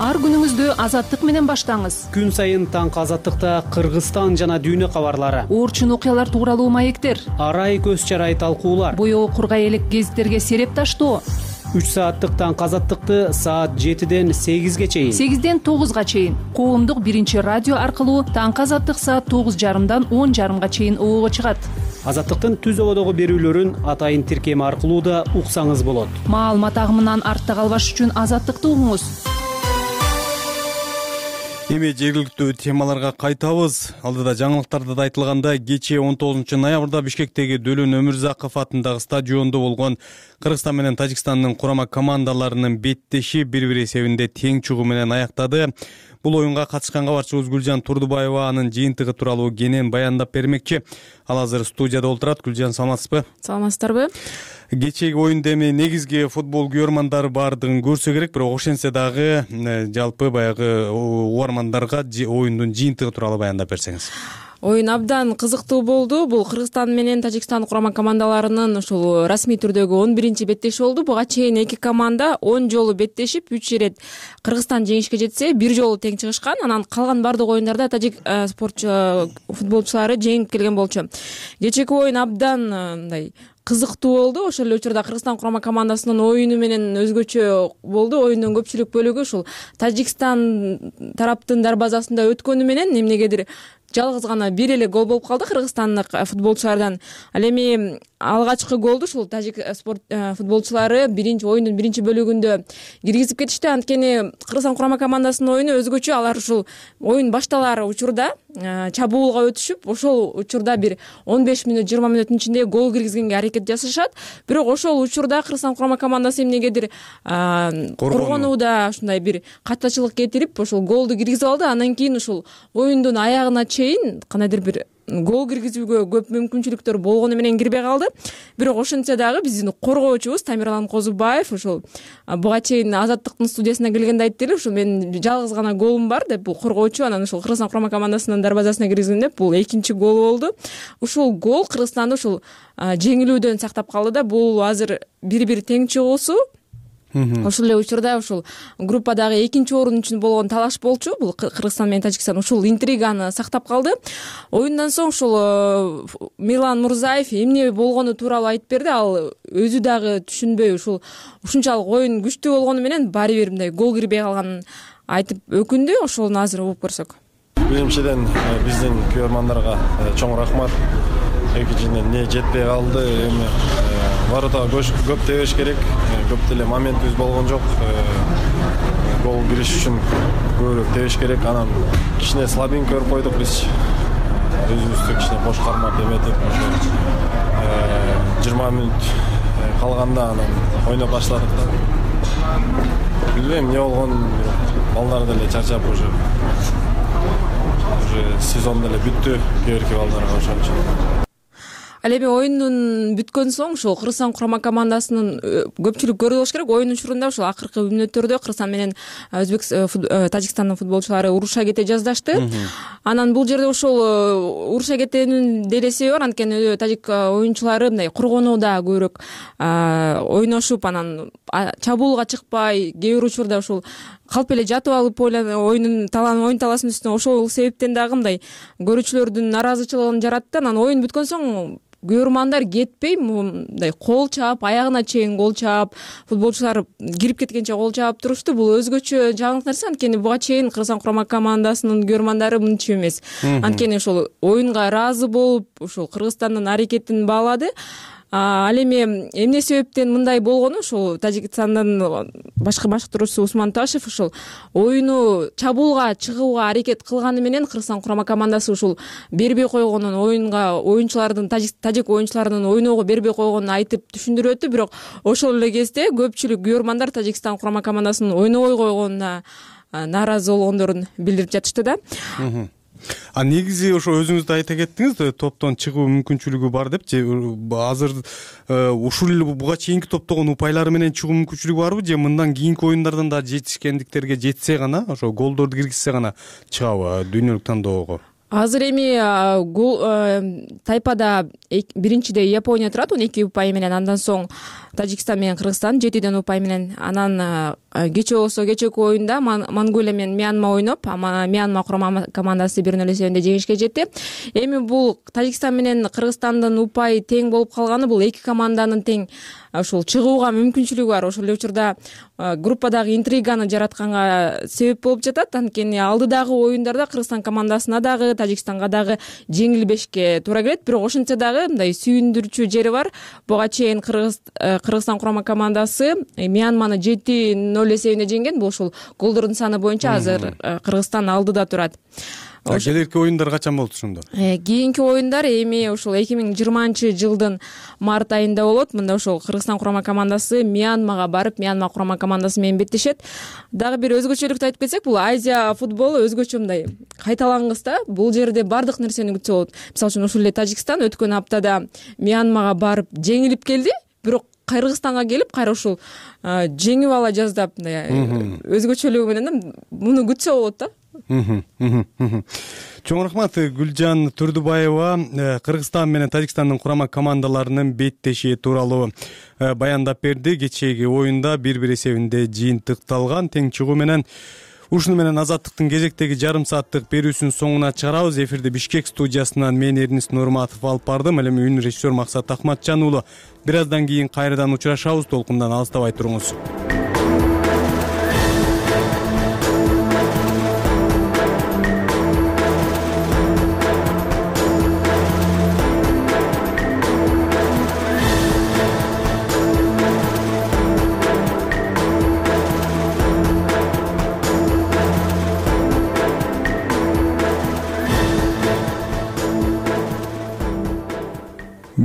Ар күнүңүздү азаттык менен баштаңыз. Күн сайын таңкы азаттыкта Кыргызстан жана дүйнө кабарлары, Оорчун окуялар тууралуу маектер, арай көз чарай талкуулар, боёо кургай элек гезиттерге сереп таштоо. 3 сааттык таңкы азаттыкты саат 7ден 8ге чейин, 8ден 9га чейин коомдук биринчи радио аркылуу таңкы азаттык саат 9:30дан 10:30га чейин оого чыгат. Азаттыктын түз ободогу берүүлөрүн атайын тиркеми аркылуу да уксаңыз болот. Маалымат агымынан артта калбаш үчүн азаттыкты угуңуз. Эми жергиликтүү темаларга кайтабыз. Алдыда жаңылыктарда да айтылгандай, кечээ 19 ноябрда Бишкектеги Дөлөн Өмүрзаков атындагы стадиондо болгон Кыргызстан менен Тажикстандын курама командаларынын беттеши 1-1 эсебинде тең чыгуу менен аяктады. Бул оюнга катышкан кабарчыбыз Гүлжан Турдубаева анын жыйынтыгы тууралуу кенен баяндап бермекчи. Ал азыр студияда отурат. Гүлжан, саламатсызбы? Саламатсыздарбы? Кечээги оюнда эми негизги футбол күйөрмандар баардыгын көрсө керек, бирок ошентсе дагы жалпы баягы угармандарга оюндун жыйынтыгы тууралуу баяндап берсеңиз. Оюн абдан кызыктуу болду. Бул Кыргызстан менен Тажикстан курама командаларынын ушул расмий түрдөгү 11-чи беттеши болду. Буга чейин эки команда 10 жолу беттешип, 3 ирет Кыргызстан жеңишке жетсе, 1 жолу тең чыгышкан. Анан калган бардык оюндарда тажик футболчулары жеңип келген болчу. Кечээки оюн абдан мындай кызыктуу болду. Ошол эле учурда Кыргызстан курама командасынын оюну менен өзгөчө болду. Оюндун көпчүлүк бөлүгү ушул Тажикстан тараптын дарбазасында өткөнү менен эмнегедир жалгыз гана бир эле гол болуп калды кыргызстандык футболчулардан. Ал эми алгачкы голду ушул тажик футболчулары оюндун биринчи бөлүгүндө киргизип кетишти. Анткени Кыргызстан курама командасынын оюну өзгөчө. Алар ушул оюн башталар учурда чабуулга өтүшүп, ошол учурда бир 15 мүнөт 20 мүнөттүн ичинде гол киргизгенге аракет жасашат. Бирок ошол учурда Кыргызстан курама командасы эмнегедир коргонууда ушундай бир каттачылык кетирип, ошол голду киргизип алды. Андан кийин ушул оюндун аягына чейин кандайдыр бир гол киргизүүгө көп мүмкүнчүлүктөр болгону менен кирбей калды. Бирок ошентсе дагы биздин коргоочубуз Тамирлан Козубаев ушул буга чейин Азаттыктын студиясына келгенде айтты эле, ушул менин жалгыз гана голум бар деп, бул коргоочу анан ушул Кыргызстан курама командасынын дарбазасына киргизген деп, бул экинчи гол болду. Ушул гол Кыргызстанды ушул жеңилүүдөн сактап калды да. Бул азыр 1-1 тең чыгуусу. Ошол эле учурда ушул группадагы экинчи орун үчүн болгон талаш болчу. Бул Кыргызстан менен Тажикстан ушул интриганы сактап калды. Оюндан соң ушул Мирлан Мурзаев эмне болгону тууралуу айтып берди. Ал өзү дагы түшүнбөй ушунчалык оюн күчтүү болгону менен баары бир мындай гол кирбей калганын айтып өкүндү. Ошону азыр угуп көрсөк. Биринчиден биздин күйөрмандарга чоң рахмат. Экинчиден эмне жетпей калды, эми воротага көп тебеш керек. Көп деле моментибиз болгон жок. Гол кириш үчүн көбүрөөк тебеш керек. Анан кичине слабинка көрүп койдук биз. Өзүбүздү кичине бош кармап эметип, 20 мүнөт калганда анан ойноп баштадык да. Билбейм эмне болгон, балдар деле чарчап уже сезон деле бүттү кийинки балдарга ошон үчүн. Ал эми оюндун бүткөн соң ушул Кыргызстан курама командасынын көпчүлүк көрдү болуш керек. Оюн учурунда ушул акыркы мүнөттөрдө Кыргызстан менен Тажикстандын футболчулары уруша кете жаздашты. Анан бул жерде ушул уруша кетүүнүн деле себеби бар. Анткени тажик оюнчулары мындай коргонууда көбүрөөк ойношуп, анан чабуулга чыкпай, кээ бир учурда ушул калп эле жатып алып оюн талаасынын үстүнө ошол себептен дагы мындай көрүүчүлөрдүн нараазычылыгын жаратты. Анан оюн бүткөн соң күйөрмандар кетпей мындай кол чаап, аягына чейин гол чаап, футболчулар кирип кеткенче гол чаап турушту. Бул өзгөчө жаңылык нерсе. Анткени буга чейин Кыргызстан курама командасынын күйөрмандары мынча эмес. Анткени ошол оюнга ыраазы болуп, ошол Кыргызстандын аракетин баалады. Ал эми эмне себептен мындай болгону, ушул Тажикстандын башкы баштыруучусу Усман Ташев ушул оюну чабуулга чыгууга аракет кылганы менен Кыргызстан курама командасы ушул бербей койгонун, тажик оюнчуларынын ойноого бербей койгонун айтып түшүндүрүп өттү. Бирок ошол эле кезде көпчүлүк күйөрмандар Тажикстан курама командасынын ойнобой койгонуна нааразы болгондорун билдирип жатышты да. Негизи ошо өзүңүз да айта кеттиңиз, топтон чыгуу мүмкүнчүлүгү бар деп. Азыр ушул эле буга чейинки топтогон упайлары менен чыгуу мүмкүнчүлүгү барбы, же мындан кийинки оюндардан да жетишкендиктерге жетсе гана, ошо голдорду киргизсе гана чыгабы дүйнөлүк тандоого? Азыр эми тайпада биринчиде Япония турат 12 упай менен, андан соң Тажикстан менен Кыргызстан 7 упай менен. Анан кечээ болсо кечээки оюнда Монголия менен Мьянма ойноп, Мьянма курама командасы 1-0 эсебинде жеңишке жетти. Эми бул Тажикстан менен Кыргызстандын упай тең болуп калганы, бул эки команданын тең ушул чыгууга мүмкүнчүлүгү бар. Ошол эле учурда группадагы интриганы жаратканга себеп болуп жатат. Анткени алдыдагы оюндарда Кыргызстан командасына дагы, Тажикстанга дагы жеңилбешке туура келет. Бирок ошентсе дагы мындай сүйүндүрчү жери бар. Буга чейин Кыргызстан курама командасы Мьянманы 7-0 0 эсебинде жеңген. Бул ушул голдордун саны боюнча азыр Кыргызстан алдыда турат. Келерки оюндар качан болот ошондо? Кийинки оюндар эми ушул 2020-жылдын март айында болот. Мында ошол Кыргызстан курама командасы Мьянмага барып, Мьянма курама командасы менен беттешет. Дагы бир өзгөчөлүктү айтып кетсек, бул Азия футболу өзгөчө мындай кайталангыс да. Бул жерде бардык нерсени күтсө болот. Мисалы үчүн ушул эле Тажикстан өткөн аптада Мьянмага барып жеңилип келди, бирок Кыргызстанга келип кайра ушул жеңип ала жаздап, өзгөчөлүгү менен муну күтсө болот да. Чоң рахмат. Гүлжан Турдубаева Кыргызстан менен Тажикстандын курама командаларынын беттеши тууралуу баяндап берди. Кечээги оюнда 1-1 эсебинде жыйынтыкталган. Тең чыгуу менен ушуну менен Азаттыктын кезектеги жарым сааттык берүүсүнүн соңуна чыгарабыз. Эфирде Бишкек студиясынан мен Эрнис Нурматов алып бардым. Ал эми үн режиссер Максат Акматжан уулу. Бир аздан кийин кайрадан учурашабыз. Толкундан алыстабай туруңуз.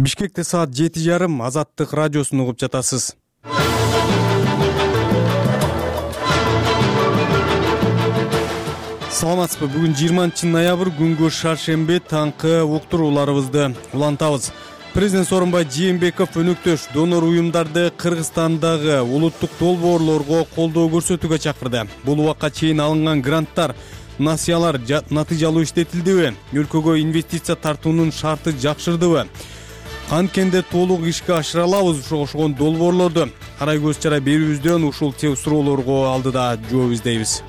Бишкекте саат 7:30 Азаттык радиосун угуп жатасыз. Саламатсызбы? Бүгүн 20-ноябрь күнгө шаршемби таңкы уктурууларыбызды улантабыз. Президент Сооронбай Жээнбеков өнөктөш донор уюмдарды Кыргызстандагы улуттук долбоорлорго колдоо көрсөтүүгө чакырды. Бул убакка чейин алынган гранттар, насыялар натыйжалуу иштетилдиби? Өлкөгө инвестиция тартуунун шарты жакшырдыбы? Канткенде толук ишке ашыра алабыз ошогон долбоорлорду? Карай көз чара берүүбүздөн ушул суроолорго алдыда жооп издейбиз.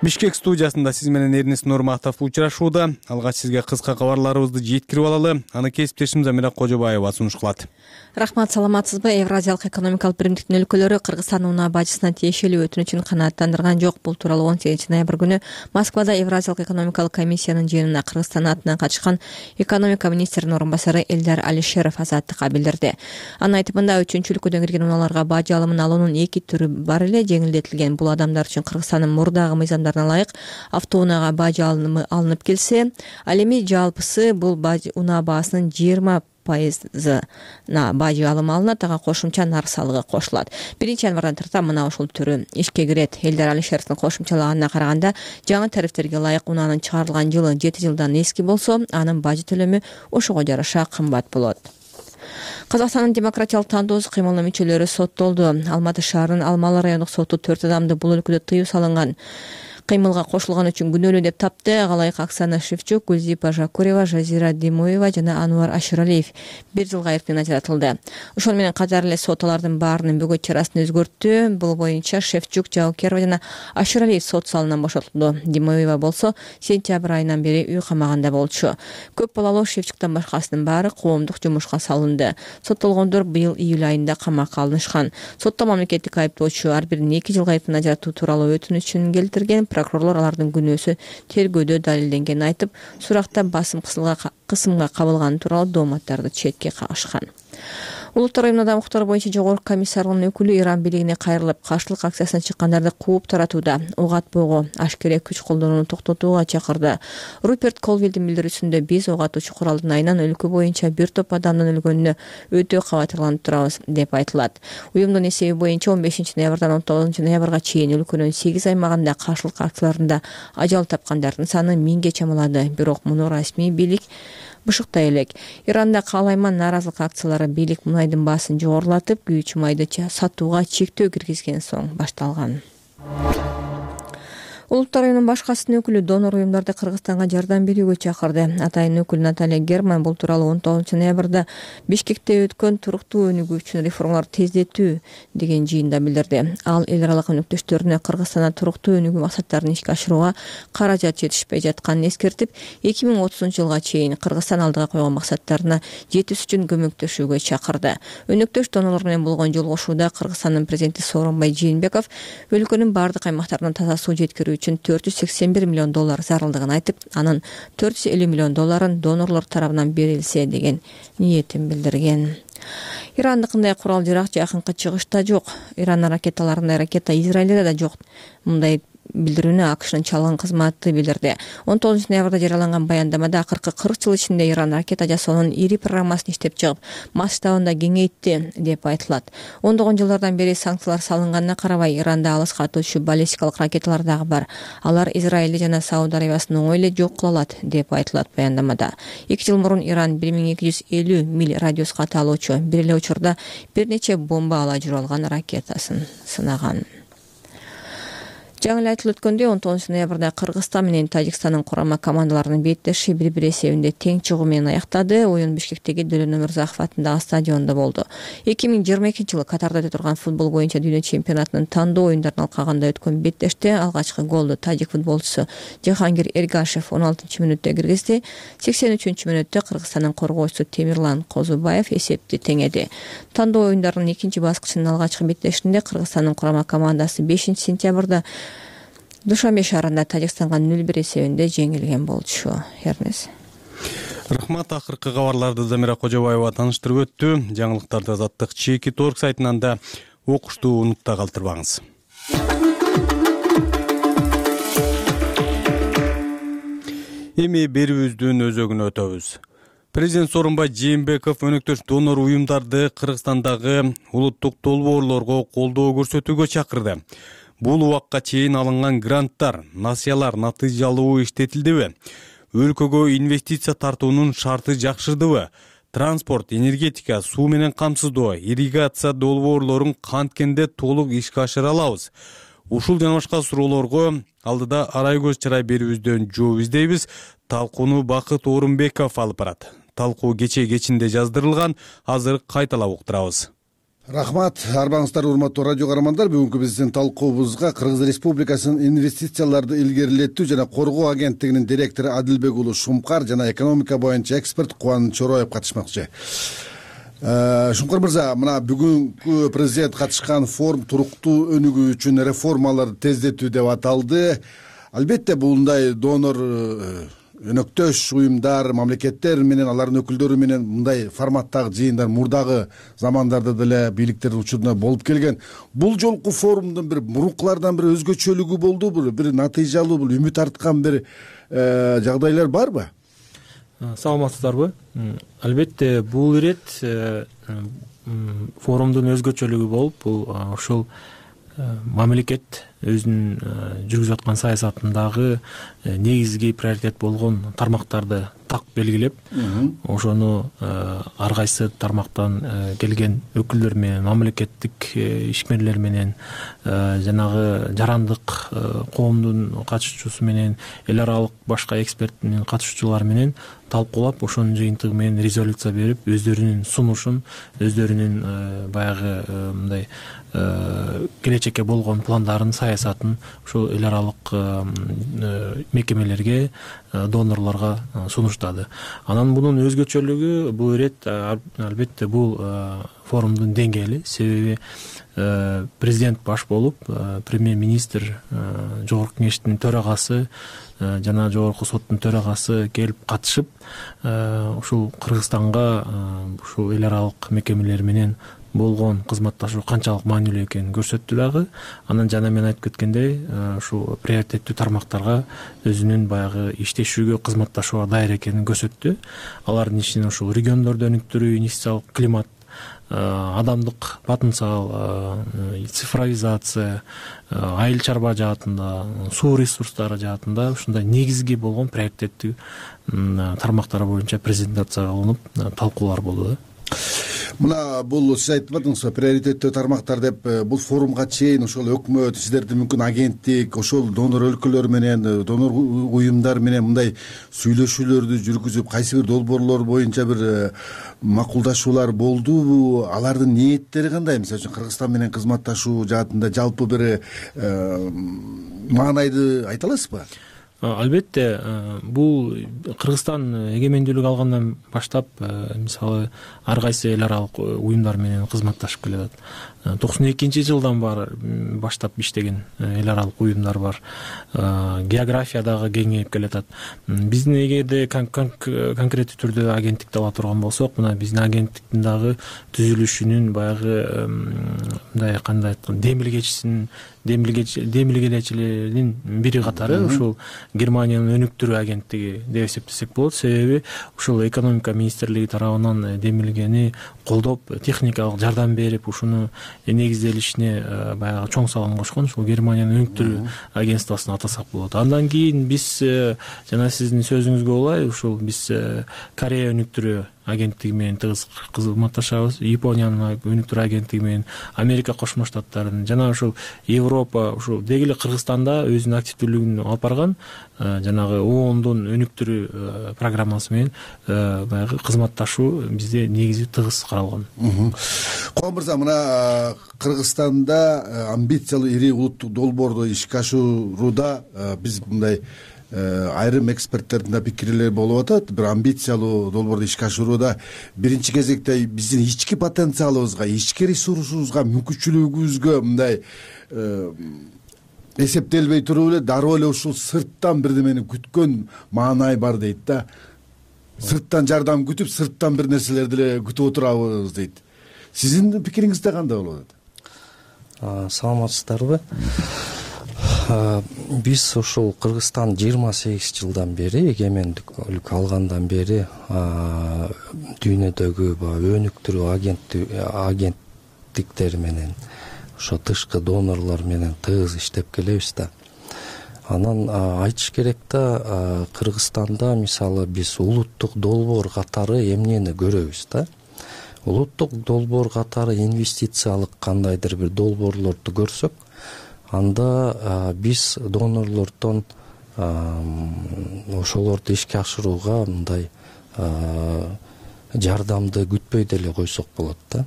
Бишкек студиясында сиз менен Эрнис Нурматов учурашууда. Алгач сизге кыска кабарларыбызды жеткирип алалы. Аны кесиптешим Замира Кожобаева сунуш кылат. Рахмат, саламатсызбы? Евразиялык экономикалык биримдиктин өлкөлөрү Кыргызстан унаа бажысына тиешелүү өтүнүчүн канааттандырган жок. Бул тууралуу 18-ноябрь күнү Москвада Евразиялык экономикалык комиссиянын жыйынына Кыргызстан атынан катышкан экономика министринин орун басары Элдар Алишеров Азаттыкка билдирди. Анын айтымында 3-өлкөдөн кирген унааларга бажы алымын алуунун 2 түрү бар эле жеңилдетилген. Бул адамдар үчүн Кыргызстандын мурдагы мыйзамдарына ылайык автоунаага бажы алымы алынып келсе, ал эми жалпысы бул бажы унаа баасынын 20% бажы алымы алынат, ага кошумча нарк салыгы кошулат. 1-январдан тарта мына ушул түрү ишке кирет. Элдар Алишеровдун кошумчалаганына караганда, жаңы тарифтерге ылайык унаанын чыгарылган жылы 7 жылдан эски болсо, анын бажы төлөмү ошого жараша кымбат болот. Казакстандын демократиялык тандоосу кыймылынын мүчөлөрү соттолду. Алматы шаарынын Алмалы райондук соту 4 адамды бул өлкөдө тыюу салынган кыймылга кошулган үчүн күнөөлүү деп тапты. Ага ылайык Оксана Шевчук, Гүлзипа Жакурева, Жазира Димоева жана Ануар Ашыралиев 1 жылга эркинен ажыратылды. Ошону менен катар эле сот алардын баарынын бөгөт чарасын өзгөрттү. Бул боюнча Шевчук, Жаукерова жана Ашыралиев сот залынан бошотулду. Димоева болсо сентябрь айынан бери үй камагында болчу. Көп балалуу Шевчуктан башкасынын баары коомдук жумушка салынды. Соттолгондор быйыл июль айында камакка алынышкан. Сотто мамлекеттик айыптоочу ар бирин 2 жылга эркинен ажыратуу тууралуу өтүнүчүн келтирген. Прокурорлор алардын күнөөсү тергөөдө далилденгенин айтып, суракта басым кысымга кабылганы тууралуу дооматтарды четке кагышкан. Улуттар уюмунда укуктар боюнча жогорку комиссарынын өкүлү Иран бийлигине кайрылып, каршылык акциясына чыккандарды кууп таратууда, ок атпоого, ашкере күч колдонууну токтотууга чакырды. Руперт Колвилдин билдирүүсүндө биз ок атуучу куралдын айынан өлкө боюнча бир топ адамдын өлгөнүнө өтө кабатырланып турабыз деп айтылат. Уюмдун эсеби боюнча 15-ноябрдан 19-ноябрга чейин өлкөнүн 8 аймагында каршылык акцияларында ажал тапкандардын саны 1000ге чамалады. Бирок муну расмий бийлик бышыктай элек. Иранда каалайман нааразылык акциялары бийлик мунайдын баасын жогорулатып, күйүүчү майды сатууга чектөө киргизген соң башталган. Улуттар уюмунун башкасынын өкүлү донор уюмдарды Кыргызстанга жардам берүүгө чакырды. Атайын өкүл Наталья Герман бул тууралуу 19-ноябрда Бишкекте өткөн туруктуу өнүгүү үчүн реформаларды тездетүү деген жыйында билдирди. Ал эл аралык өнөктөштөрүнө Кыргызстанда туруктуу өнүгүү максаттарын ишке ашырууга каражат жетишпей жатканын эскертип, 2030-жылга чейин Кыргызстан алдыга койгон максаттарына жетиш үчүн көмөктөшүүгө чакырды. Өнөктөш донорлор менен болгон жолугушууда Кыргызстандын президенти Сооронбай Жээнбеков өлкөнүн бардык аймактарына таза суу жеткирүү үчүн $481 миллион зарылдыгын айтып, анын $450 миллион донорлор тарабынан берилсе деген ниетин билдирген. Ирандыкындай курал-жарак жакынкы чыгышта жок. Иран ракеталарындай ракета Израилде да жок. Мындай билдирүүнү АКШнын чалгын кызматы билдирди. 19 ноябрда жарыяланган баяндамада акыркы 40 жыл ичинде Иран ракета жасоонун ири программасын иштеп чыгып, масштабын да кеңейтти деп айтылат. 10 жылдардан бери санкциялар салынганына карабай, Иранда алыска атуучу баллистикалык ракеталар дагы бар. Алар Израилди жана Сауд Арабиясын оңой эле жок кыла алат деп айтылат баяндамада. 2 жыл мурун Иран 1250 миль радиуска аталуучу бир эле учурда бир нече бомба ала жүрүп алган ракетасын сынаган. Жаңы эле айтылып өткөндөй, 19 ноябрда Кыргызстан менен Тажикстандын курама командаларынын беттеши 1-1 эсебинде тең чыгуу менен аяктады. Оюн Бишкектеги Дөлөн Өмүрзаков атындагы стадиондо болду. 2022-жылы Катарда өтө турган футбол боюнча дүйнө чемпионатынын тандоо оюндарынын алкагында өткөн беттеште алгачкы голду тажик футболчусу Жахангир Эргашев 16-мүнөттө киргизди. 83-мүнөттө Кыргызстандын коргоочусу Темирлан Козубаев эсепти теңеди. Тандоо оюндарынын экинчи баскычынын алгачкы беттешинде Кыргызстандын курама командасы 5-сентябрда Душанбе шаарында Тажикстанга 0-1 эсебинде жеңилген болчу. Эрнес. Рахмат. Акыркы кабарларды Замира Кожобаева тааныштырып өттү. Жаңылыктарды Азаттык Чеки.org сайтынан да окушту унутта калтырбаңыз. Эми берүүбүздүн өзөгүнө өтөбүз. Президент Сооронбай Жээнбеков өнөктөш донор уюмдарды Кыргызстандагы улуттук долбоорлорго колдоо көрсөтүүгө чакырды. Бул убакка чейин алынган гранттар, насыялар натыйжалуу иштетилдиби? Өлкөгө инвестиция тартуунун шарты жакшырдыбы? Транспорт, энергетика, суу менен камсыздоо, ирригация долбоорлорун канткенде толук ишке ашыра алабыз? Ушул жана башка суроолорго алдыда арай көз чарай берүүбүздөн жооп издейбиз. Талкууну Бакыт Орунбеков алып барат. Талкуу кечинде жаздырылган, азыр кайталап уктурабыз. Рахмат, арбаңыздар урматтуу радио каармандар. Бүгүнкү биздин талкуубузга Кыргыз Республикасынын инвестицияларды илгерилетүү жана коргоо агенттигинин директору Адилбек уулу Шумкар жана экономика боюнча эксперт Кубаныч Чороев катышмакчы. Шумкар мырза, мына бүгүнкү президент катышкан форум туруктуу өнүгүү үчүн реформаларды тездетүү деп аталды. Албетте мындай донор өнөктөш уюмдар, мамлекеттер менен алардын өкүлдөрү менен мындай форматтагы жыйындар мурдагы замандарда деле бийликтердин учурунда болуп келген. Бул жолку форумдун бир мурункулардан бир өзгөчөлүгү болдубу? Бир натыйжалуу, бул үмүт арткан бир жагдайлар барбы? Саламатсыздарбы? Албетте бул ирет форумдун өзгөчөлүгү болуп, бул ушул мамлекет өзүнүн жүргүзүп аткан саясатындагы негизги приоритет болгон тармактарды так белгилеп, ошону ар кайсы тармактан келген өкүлдөр менен, мамлекеттик ишмерлер менен, жанагы жарандык коомдун катышуучусу менен, эл аралык башка эксперттин катышуучулары менен талкуулап, ошонун жыйынтыгы менен резолюция берип, өздөрүнүн сунушун, өздөрүнүн баягы мындай келечекке болгон пландарын, саясатын ушул эл аралык мекемелерге, донорлорго сунуштады. Анан мунун өзгөчөлүгү бул ирет албетте бул форумдун деңгээли, себеби президент баш болуп, премьер-министр, жогорку кеңештин төрагасы жана жогорку соттун төрагасы келип катышып, ушул Кыргызстанга ушул эл аралык мекемелер менен болгон кызматташуу канчалык маанилүү экенин көрсөттү дагы. Анан жана мен айтып кеткендей, ушул приоритеттүү тармактарга өзүнүн баягы иштешүүгө, кызматташууга даяр экенин көрсөттү. Алардын ичинен ушул региондорду өнүктүрүү, инвестициялык климат, адамдык потенциал, цифровизация, айыл чарба жаатында, суу ресурстары жаатында ушундай негизги болгон приоритеттүү тармактар боюнча презентация кылынып, талкуулар болду. Мына бул сиз айтып атыңызбы, приоритеттүү тармактар деп, бул форумга чейин ошол өкмөт, сиздердин мүмкүн агенттик, ошол донор өлкөлөр менен, донор уюмдар менен мындай сүйлөшүүлөрдү жүргүзүп, кайсы бир долбоорлор боюнча бир макулдашуулар болдубу? Алардын ниеттери кандай? Мисалы үчүн Кыргызстан менен кызматташуу жаатында жалпы бир маанайды айта аласызбы? албетте бул Кыргызстан эгемендүүлүк алгандан баштап мисалы ар кайсы эл аралык уюмдар менен кызматташып келатат. 92-жылдан баштап иштеген эл аралык уюмдар бар. География дагы кеңейип келатат. Биздин эгерде конкреттүү түрдө агенттикти ала турган болсок, мына биздин агенттиктин дагы түзүлүшүнүн баягы мындай кандай айткан демилгелечилеринин бири катары ушул Германиянын өнүктүрүү агенттиги деп эсептесек болот. Себеби ушул экономика министрлиги тарабынан демилгени колдоп, техникалык жардам берип, ушуну негизделишине баягы чоң салым кошкон ушул Германиянын өнүктүрүү агентствосын атасак болот. Андан кийин биз жана сиздин сөзүңүзгө улай ушул биз Корея өнүктүрүү агенттиги менен тыгыз кызматташабыз. Япониянын өнүктүрүү агенттиги менен, Америка Кошмо Штаттарынын жана ушул Европа, ушул деги эле Кыргызстанда өзүнүн активдүүлүгүн алып барган жанагы ООНдун өнүктүрүү программасы менен баягы кызматташуу бизде негизи тыгыз каралган. Ком мырза, мына Кыргызстанда амбициялуу ири улуттук долбоорду ишке ашырууда биз мындай айрым эксперттердин да пикирлери болуп атат. Бир амбициялуу долбоорду ишке ашырууда биринчи кезекте биздин ички потенциалыбызга, ички ресурсубузга, мүмкүнчүлүгүбүзгө мындай эсептелбей туруп эле дароо эле ушул сырттан бирдемени күткөн маанай бар дейт да. Сырттан жардам күтүп, сырттан бир нерселерди эле күтүп отурабыз дейт. Сиздин пикириңизде кандай болуп атат? Саламатсыздарбы? Биз ушул Кыргызстан 28 жылдан бери, эгемендүүлүк алгандан бери дүйнөдөгү өнүктүрүү агенттиктери менен, ошо тышкы донорлор менен тыгыз иштеп келебиз да. Анан айтыш керек да, Кыргызстанда мисалы биз улуттук долбоор катары эмнени көрөбүз да. Улуттук долбоор катары инвестициялык кандайдыр бир долбоорлорду көрсөк, анда биз донорлордон ошолорду ишке ашырууга мындай жардамды күтпөй деле койсок болот да.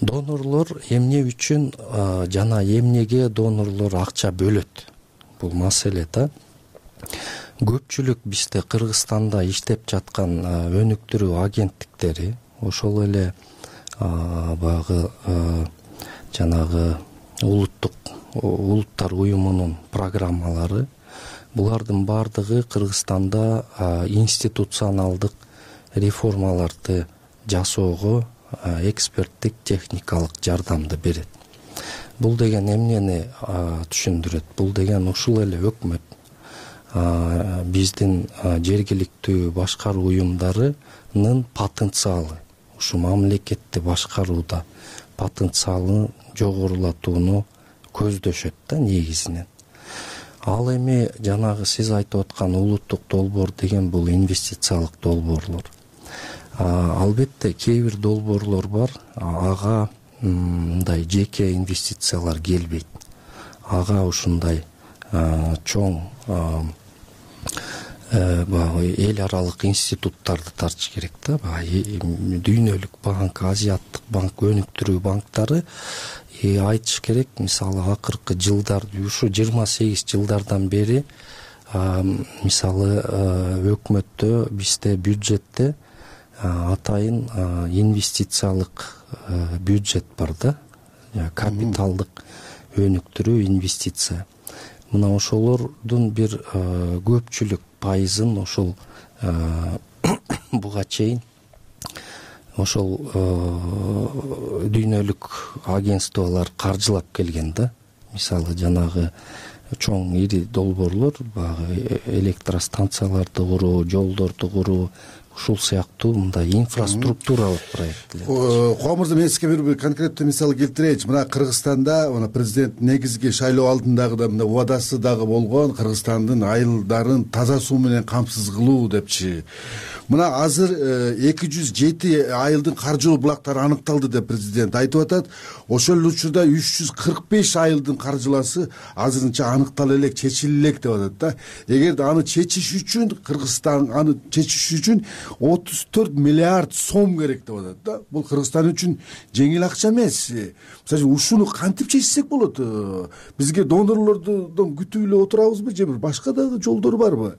Донорлор эмне үчүн жана эмнеге донорлор акча бөлөт? Бул маселе да. Көпчүлүк бизде Кыргызстанда иштеп жаткан өнүктүрүү агенттиктери, ошол эле баягы жанагы улуттар уюмунун программалары, булардын баардыгы Кыргызстанда институционалдык реформаларды жасоого эксперттик техникалык жардамды берет. Бул деген эмнени түшүндүрөт? Бул деген ушул эле өкмөт биздин жергиликтүү башкаруу уюмдарынын потенциалы, ушу мамлекетти башкарууда потенциалын жогорулатууну көздөшөт да негизинен. Ал эми жанагы сиз айтып аткан улуттук долбоор деген бул инвестициялык долбоорлор. Албетте кээ бир долбоорлор бар, ага мындай жеке инвестициялар келбейт. Ага ушундай чоң эл аралык институттарды тартыш керек да. Дүйнөлүк банк, Азияттык банк, өнүктүрүү банктары айтыш керек, мисалы акыркы жылдар, ушу 28 жылдардан бери мисалы өкмөттө, бизде бюджетте атайын инвестициялык бюджет бар да, капиталдык өнүктүрүү инвестиция. Мына ошолордун бир көпчүлүк пайызын ошол буга чейин ошол дүйнөлүк агентстволор каржылап келген да. Мисалы жанагы чоң ири долбоорлор, баягы электростанцияларды куруу, жолдорду куруу, ушул сыяктуу мындай инфраструктуралык проекттер. Ком мырза, мен сизге бир конкреттүү мисал келтирейинчи. Мына Кыргызстанда президент негизги шайлоо алдындагы да мына убадасы дагы болгон, Кыргызстандын айылдарын таза суу менен камсыз кылуу депчи. Мына азыр 207 айылдын каржылуу булактары аныкталды деп президент айтып атат. Ошол учурда 345 айылдын каржыласы азырынча аныктала элек, чечиле элек деп атат да. Эгерде аны чечиш үчүн, Кыргызстан аны чечиш үчүн 34 миллиард сом керек деп атат да. Бул Кыргызстан үчүн жеңил акча эмес. Мисалы үчүн ушуну кантип чечсек болот? Бизге донорлордон күтүп эле отурабызбы же бир башка дагы жолдор барбы?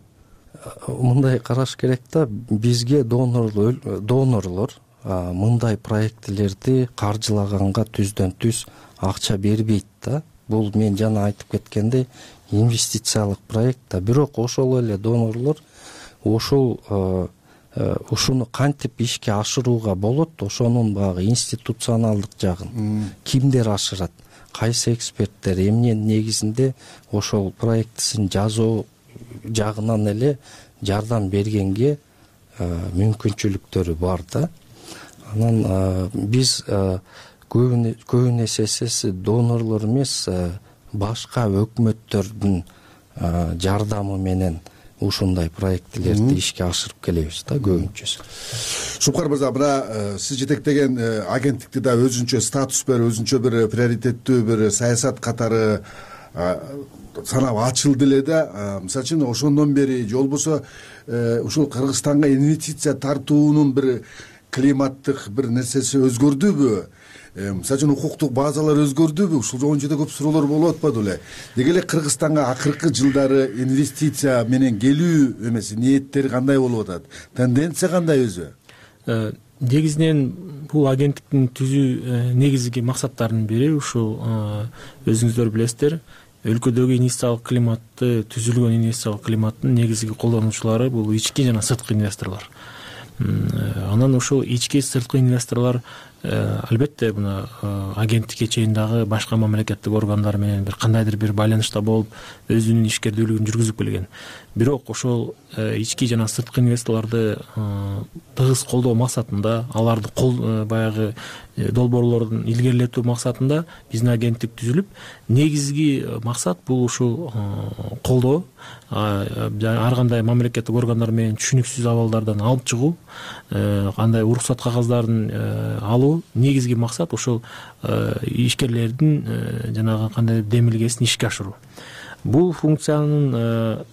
Мындай караш керек да. Бизге донорлор мындай проектилерди каржылаганга түздөн түз акча бербейт да. Бул мен жана айтып кеткендей инвестициялык проект да. Бирок ошол эле донорлор ушуну кантип ишке ашырууга болот, ошонун баягы институционалдык жагын кимдер ашырат, кайсы эксперттер, эмненин негизинде ошол проектисин жазуу жагынан эле жардам бергенге мүмкүнчүлүктөрү бар да. Анан биз көбүн эсеси донорлор эмес, башка өкмөттөрдүн жардамы менен ушундай проектилерди ишке ашырып келебиз да көбүнчөсү. Шупкар мырза, мына сиз жетектеген агенттикти да өзүнчө статус берип, өзүнчө бир приоритеттүү бир саясат катары санап ачылды эле да. Мисалы үчүн ошондон бери же болбосо ушул Кыргызстанга инвестиция тартуунун бир климаттык бир нерсеси өзгөрдүбү? Мисалы үчүн укуктук базалар өзгөрдүбү? Ушул жөнүндө жөнүндө көп суроолор болуп атпады беле? Деги эле Кыргызстанга акыркы жылдары инвестиция менен келүү эмеси ниеттери кандай болуп атат? Тенденция кандай өзү? Негизинен бул агенттиктин түзүү негизги максаттарынын бири ушул өзүңүздөр билесиздер, өлкөдөгү инвестициялык климатты, түзүлгөн инвестициялык климаттын негизги колдонуучулары бул ички жана сырткы инвесторлор. Анан ушул ички сырткы инвесторлор албетте мына агенттикке чейин дагы башка мамлекеттик органдар менен бир кандайдыр бир байланышта болуп өзүнүн ишкердүүлүгүн жүргүзүп келген. Бирок ошол ички жана сырткы инвесторлорду тыгыз колдоо максатында, аларды баягы долбоорлордун илгерилетүү максатында биздин агенттик түзүлүп, негизги максат бул ушул колдоо, ар кандай мамлекеттик органдар менен түшүнүксүз абалдардан алып чыгуу, кандай уруксат кагаздарын алуу. Негизги максат ошол ишкерлердин жанагы кандай демилгесин ишке ашыруу. Бул функциянын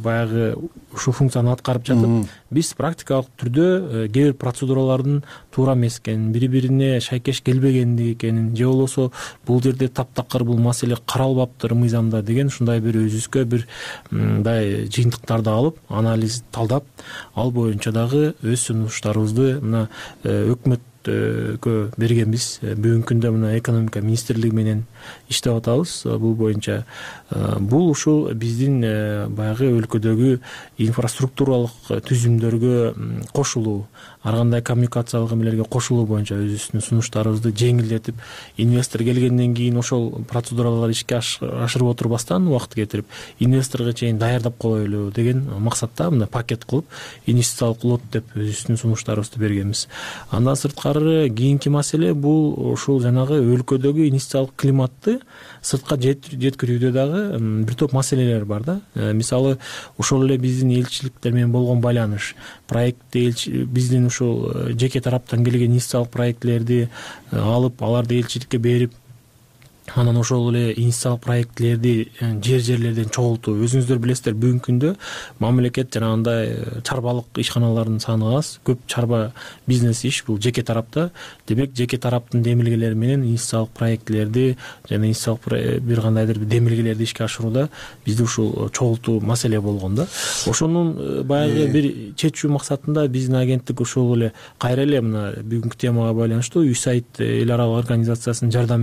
баягы ушул функцияны аткарып жатып, биз практикалык түрдө кээ бир процедуралардын туура эмес экенин, бири-бирине шайкеш келбегендиги экенин, же болбосо бул жерде таптакыр бул маселе каралбаптыр мыйзамда деген ушундай бир өзүбүзгө бир мындай жыйынтыктарды алып, анализ талдап, ал боюнча дагы өз сунуштарыбызды мына өкмөткө бергенбиз. Бүгүнкү күндө мына экономика министрлиги менен иштеп атабыз. Бул боюнча бул ушул биздин баягы өлкөдөгү инфраструктуралык түзүмдөргө кошулуу, ар кандай коммуникациялык эмелерге кошулуу боюнча өзүбүздүн сунуштарыбызды жеңилдетип, инвестор келгенден кийин ошол процедураларды ишке ашырып отурбастан убакыт кетирип, инвесторго чейин даярдап коелу деген максатта мына пакет кылып инвестициялык лот деп өзүбүздүн сунуштарыбызды бергенбиз. Андан сырткары кийинки маселе бул ушул жанагы өлкөдөгү инвестициялык климатты сыртка жеткирүүдө дагы бир топ маселелер бар да. Мисалы ошол эле биздин элчиликтер менен болгон байланыш, биздин ушул жеке тараптан келген инвестициялык проектилерди алып, аларды элчиликке берип, анан ошол эле инвестициялык проектилерди жерлерден чогултуу. Өзүңүздөр билесиздер, бүгүнкү күндө мамлекет жанагындай чарбалык ишканалардын саны аз, көп чарба бизнес иш бул жеке тарапта. Демек, жеке тараптын демилгелери менен инвестициялык проектилерди жана инвестициялык бир кандайдыр демилгелерди ишке ашырууда бизде ушул чогултуу маселе болгон да. Ошонун баягы бир чечүү максатында биздин агенттик ушул эле кайра эле мына бүгүнкү темага байланыштуу USAID эл аралык организациясынын жардам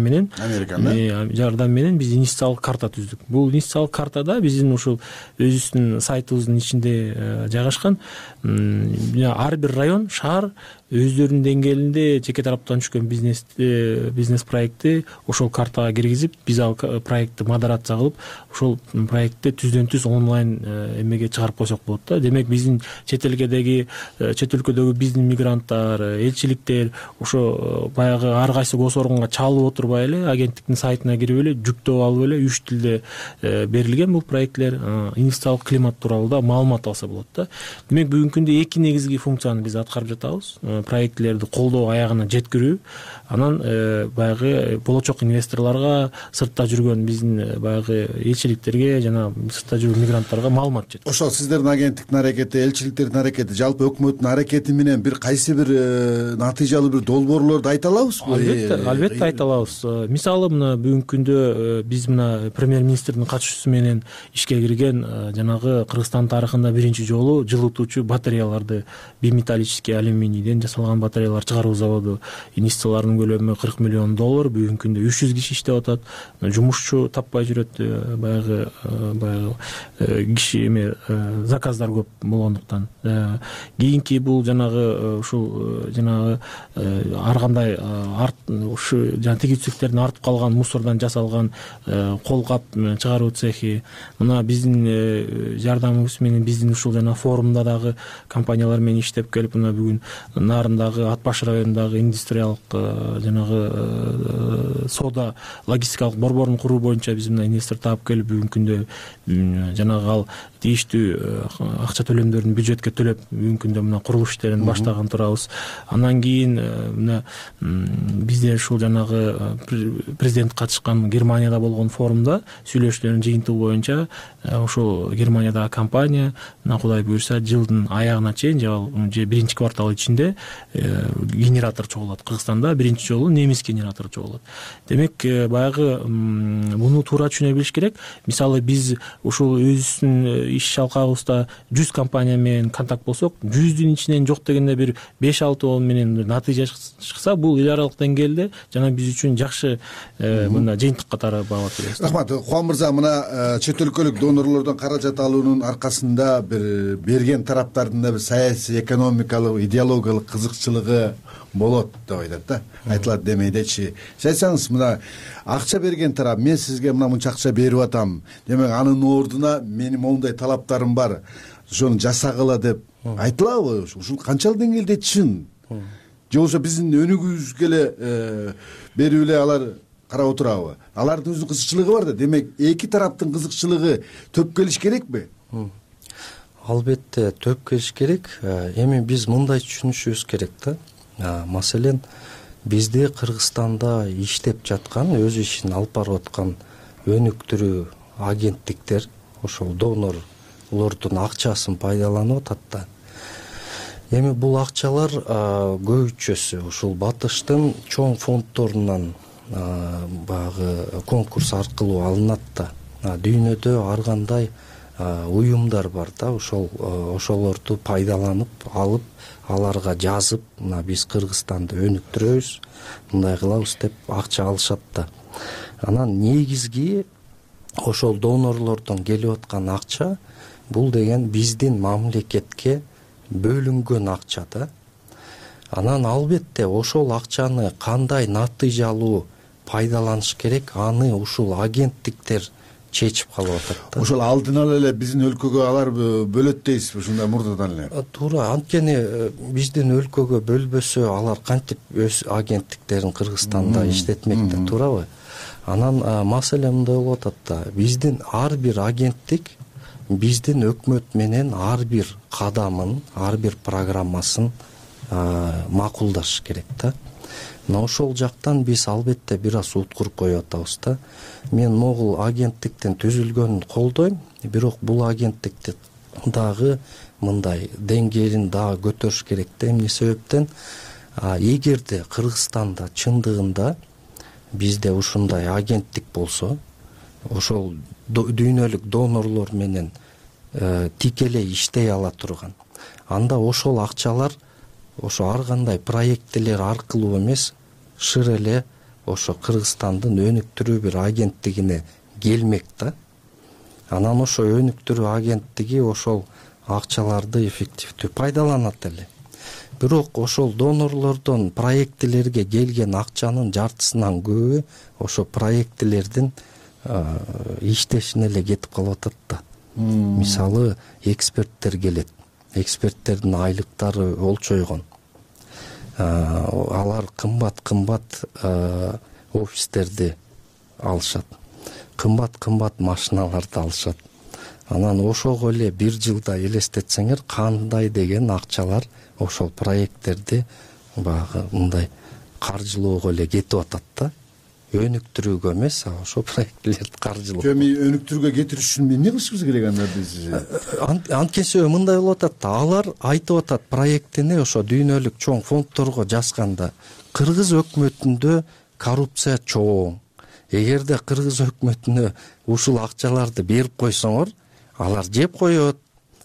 менен биз инвестициялык карта түздүк. Бул инвестициялык картада биздин ушул өзүбүздүн сайтыбыздын ичинде жайгашкан ар бир район, шаар өздөрүнүн деңгээлинде жеке тараптан түшкөн бизнес проектти ошол картага киргизип, биз ал проектти модерация кылып, ошол проектти түздөн түз онлайн эмеге чыгарып койсок болот да. Демек, биздин чет өлкөдөгү биздин мигранттар, элчиликтер ошо баягы ар кайсы госорганга чалып отурбай эле агенттиктин сайтына кирип эле жүктөп алып эле 3 тилде берилген бул проекттер инвестициялык климат тууралуу да маалымат алса болот да. Демек, бүгүнкү күндө эки негизги функцияны биз аткарып жатабыз. проектилерди колдоо аягына жеткирүү, анан баягы болочок инвесторлорго, сыртта жүргөн биздин баягы элчиликтерге жана сыртта жүргөн мигранттарга маалымат жеткирүү. Ошол сиздердин агенттиктин аракети, элчиликтердин аракети, жалпы өкмөттүн аракети менен бир кайсы бир натыйжалуу бир долбоорлорду айта алабызбы? Албетте айта алабыз. Мисалы мына бүгүнкү күндө биз мына премьер-министрдин катышуусу менен ишке кирген жанагы Кыргызстан тарыхында биринчи жолу жылытуучу батареяларды, биметаллический алюминийден жасалган батареялар чыгаруу заводу, инвестицияларынын көлөмү $40 миллион. Бүгүнкү күндө 300 киши иштеп атат. Жумушчу таппай жүрөт, баягы киши заказдар көп болгондуктан. Кийинки бул жанагы ушул жанагы ар кандай ушу жана тигизчиликтердин артып калган мусордон жасалган колкап чыгаруу цехи, мына биздин жардамыбыз менен биздин ушул жана форумда дагы компаниялар менен иштеп келип, мына бүгүн Нарындагы, Ат баш районундагы индустриялык жанагы соода логистикалык борборун куруу боюнча биз мына инвестор таап келип, бүгүнкү күндө жанагы ал тийиштүү акча төлөмдөрүн бюджетке төлөп, бүгүнкү күндө мына курулуш иштерин баштаган турабыз. Андан кийин мына бизде ушул жанагы президент катышкан Германияда болгон форумда сүйлөшүүлөрдүн жыйынтыгы боюнча ошол Германиядагы компания мына Кудай буюрса жылдын аягына чейин же биринчи квартал ичинде генератор чогулат. Кыргызстанда биринчи жолу немис генератору чогулат. Демек баягы муну туура түшүнө билиш керек. Мисалы биз ушул өзүбүздүн иш алкагыбызда 100 компания менен контакт болсок, 100дүн ичинен жок дегенде бир 5-6 менен натыйжа чыкса, бул эл аралык деңгээлде жана биз үчүн жакшы мына жыйынтык катары баалап беребиз. Рахмат. Кубан мырза, мына чет өлкөлүк донорлордон каражат алуунун аркасында бир берген тараптардын да бир саясий, экономикалык, идеологиялык кызыкчылыгы болот деп айтат да. Айтылат демейдечи. Сиз айтсаңыз, мына акча берген тарап, мен сизге мына мынча акча берип атам, демек анын ордуна менин моундай талаптарым бар, ошону жасагыла деп айтылабы? Ушул канчалык деңгээлде чын? Же болбосо биздин өнүгүүбүзгө эле берип эле алар карап отурабы? Алардын өзүнүн кызыкчылыгы бар да. Демек эки тараптын кызыкчылыгы төп келиш керекпи? Албетте төп келиш керек. Эми биз мындай түшүнүшүбүз керек да. Маселен, бизде Кыргызстанда иштеп жаткан, өз ишин алып барып аткан өнүктүрүү агенттиктер, ошол донорлордун акчасын пайдаланып атат да. Эми бул акчалар көбүчөсү ушул батыштын чоң фонддорунан баягы конкурс аркылуу алынат да. Дүйнөдө ар кандай уюмдар бар да, ошолорду пайдаланып алып, аларга жазып, мына биз Кыргызстанды өнүктүрөбүз, мындай кылабыз деп акча алышат да. Анан негизги ошол донорлордон келип аткан акча бул деген биздин мамлекетке бөлүнгөн акча да. Анан албетте ошол акчаны кандай натыйжалуу пайдаланыш керек, аны ушул агенттиктер чечип калып атат да. Ошол алдын ала эле биздин өлкөгө алар бөлөт дейсизби, ушундай мурдадан эле? Туура, анткени биздин өлкөгө бөлбөсө алар кантип өз агенттиктерин Кыргызстанда иштетмек да, туурабы? Анан маселе мындай болуп атат да, биздин ар бир агенттик биздин өкмөт менен ар бир кадамын, ар бир программасын макулдаш керек да. Мына ошол жактан биз албетте бир аз уткуруп коюп атабыз да. Мен могул агенттиктин түзүлгөнүн колдойм, бирок бул агенттикти дагы мындай деңгээлин дагы көтөрүш керек да. Эмне себептен, эгерде Кыргызстанда чындыгында бизде ушундай агенттик болсо, ошол дүйнөлүк донорлор менен тикелей иштей ала турган, анда ошол акчалар ошо ар кандай проектилер аркылуу эмес, шыр эле ошо Кыргызстандын өнүктүрүү бир агенттигине келмек да. Анан ошо өнүктүрүү агенттиги ошол акчаларды эффективдүү пайдаланат эле. Бирок ошол донорлордон проектилерге келген акчанын жартысынан көбү ошо проектилердин иштешине эле кетип калып атат да. Мисалы, эксперттер келет. Эксперттердин айлыктары олчойгон. Алар кымбат офистерди алышат. Кымбат машиналарды алышат. Анан ошого эле бир жылда элестетсеңер, кандай деген акчалар ошол проекттерди баягы мындай каржылоого эле кетип атат да, өнүктүрүүгө эмес, ошо проектилерди каржылоо. Өнүктүрүүгө кетириш үчүн эмне кылышыбыз керек анда биз? Анткени себеби мындай болуп атат да, алар айтып атат проектини ошо дүйнөлүк чоң фонддорго жазганда кыргыз өкмөтүндө коррупция чоң. Эгерде кыргыз өкмөтүнө ушул акчаларды берип койсоңор, алар жеп коет.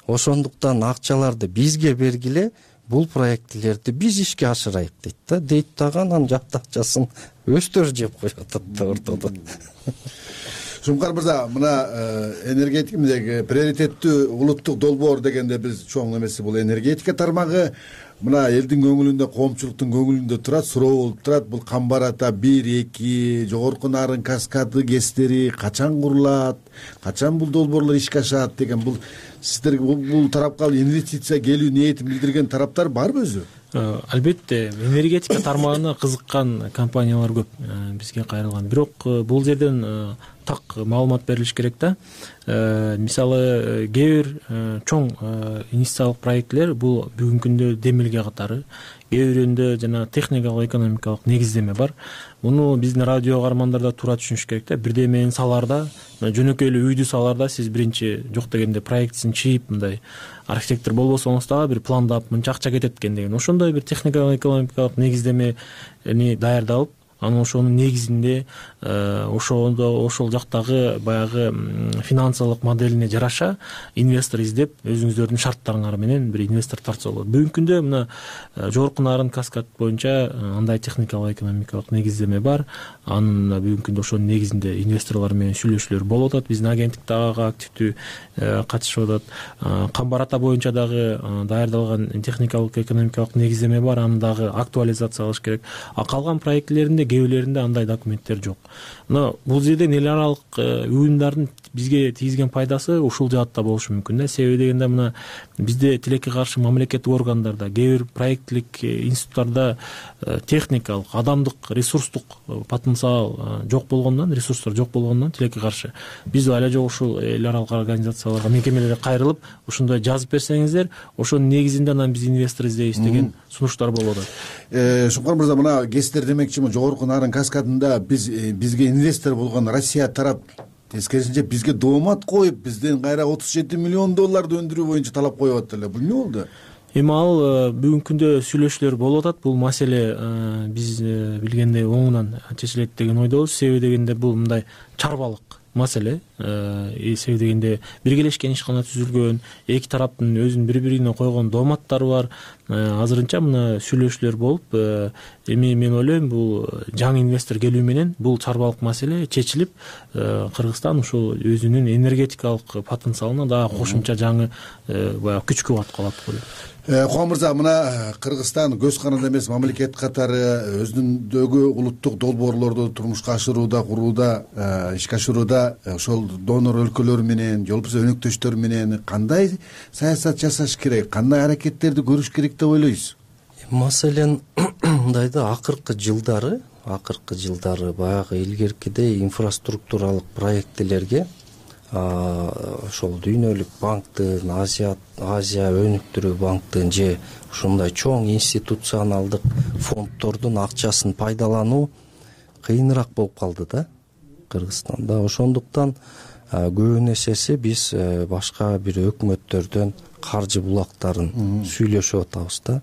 Ошондуктан акчаларды бизге бергиле, бул проектилерди биз ишке ашырайык дейт да. Дейт дагы анан жат акчасын өздөрү жеп коюп атат да ортодо. Шумкар мырза, мына энергетика мындагы приоритеттүү улуттук долбоор дегенде биз чоң эмеси бул энергетика тармагы. Мына элдин көңүлүндө, коомчулуктун көңүлүндө турат, суроо болуп турат. Бул Камбар ата 1-2 жогорку нарын каскады кестери качан курулат, качан бул долбоорлор ишке ашат деген, бул сиздерге бул тарапка инвестиция келүү ниетин билдирген тараптар барбы өзү? Албетте, энергетика тармагына кызыккан компаниялар көп бизге кайрылган. Бирок бул жерден так маалымат берилиш керек да. Мисалы, кээ бир чоң инвестициялык проектилер бул бүгүнкү күндө демилге катары, кээ биринде жана техникалык, экономикалык негиздеме бар. Муну биздин радио каармандар да туура түшүнүш керек да. Бирдемени салаарда, жөнөкөй эле үйдү салаарда сиз биринчи жок дегенде проектисин чийип, мындай архитектор болбосоңуз дагы бир пландап мынча акча кетет экен деген ошондой бир техникалык, экономикалык негиздемени даярдалып, анан ошонун негизинде ошол жактагы баягы финансылык моделине жараша инвестор издеп, өзүңүздөрдүн шарттарыңар менен бир инвестор тартса болот. Бүгүнкү күндө мына жогорку нарын каскад боюнча андай техникалык, экономикалык негиздеме бар. Анын бүгүнкү күндө ошонун негизинде инвесторлор менен сүйлөшүүлөр болуп атат. Биздин агенттик дагы активдүү катышып атат. Камбар ата боюнча дагы даярдалган техникалык, экономикалык негиздеме бар, аны дагы актуализациялаш керек. А калган проектилеринде кээ бирлеринде андай документтер жок. Мына бул жерден эл аралык уюмдардын бизге тийгизген пайдасы ушул жаатта болушу мүмкүн да. Себеби дегенде мына бизде тилекке каршы мамлекеттик органдарда, кээ бир проекттик институттарда техникалык, адамдык, ресурстук потенциал жок болгондон, ресурстар жок болгондон тилекке каршы биз але жок ушул эл аралык организацияларга, мекемелерге кайрылып, ушундай жазып берсеңиздер, ошонун негизинде анан биз инвестор издейбиз деген сунуштар болуп атат. Шумкар мырза, мына кестер демекчимин, жогорку нарын каскадында бизге инвестор болгон Россия тарап тескерисинче бизге доомат коюп, бизден кайра 37 миллион долларды өндүрүү боюнча талап коюп атат эле. Бул эмне болду? Эми ал бүгүнкү күндө сүйлөшүүлөр болуп атат. Бул маселе биз билгендей оңунан чечилет деген ойдобуз. Себеби дегенде бул мындай чарбалык маселе. Себеби дегенде биргелешкен ишкана түзүлгөн, эки тараптын өзүнүн бири-бирине койгон дооматтары бар. Азырынча мына сүйлөшүүлөр болуп, эми мен ойлойм, бул жаңы инвестор келүү менен бул чарбалык маселе чечилип, Кыргызстан ушул өзүнүн энергетикалык потенциалына дагы кошумча жаңы баягы күч кубат калат го деп. Куан мырза, мына Кыргызстан көз каранды эмес мамлекет катары өзүнүндөгү улуттук долбоорлорду турмушка ашырууда, курууда, ишке ашырууда ошол донор өлкөлөр менен, же болбосо өнөктөштөр менен кандай саясат жасаш керек, кандай аракеттерди көрүш керек деп ойлойсуз? Маселен мындай да, акыркы жылдары баягы илгеркидей инфраструктуралык проектилерге ошол дүйнөлүк банктын, Азия өнүктүрүү банктын же ушундай чоң институционалдык фонддордун акчасын пайдалануу кыйыныраак болуп калды да Кыргызстанда. Ошондуктан көбүн эсеси биз башка бир өкмөттөрдөн каржы булактарын сүйлөшүп атабыз да.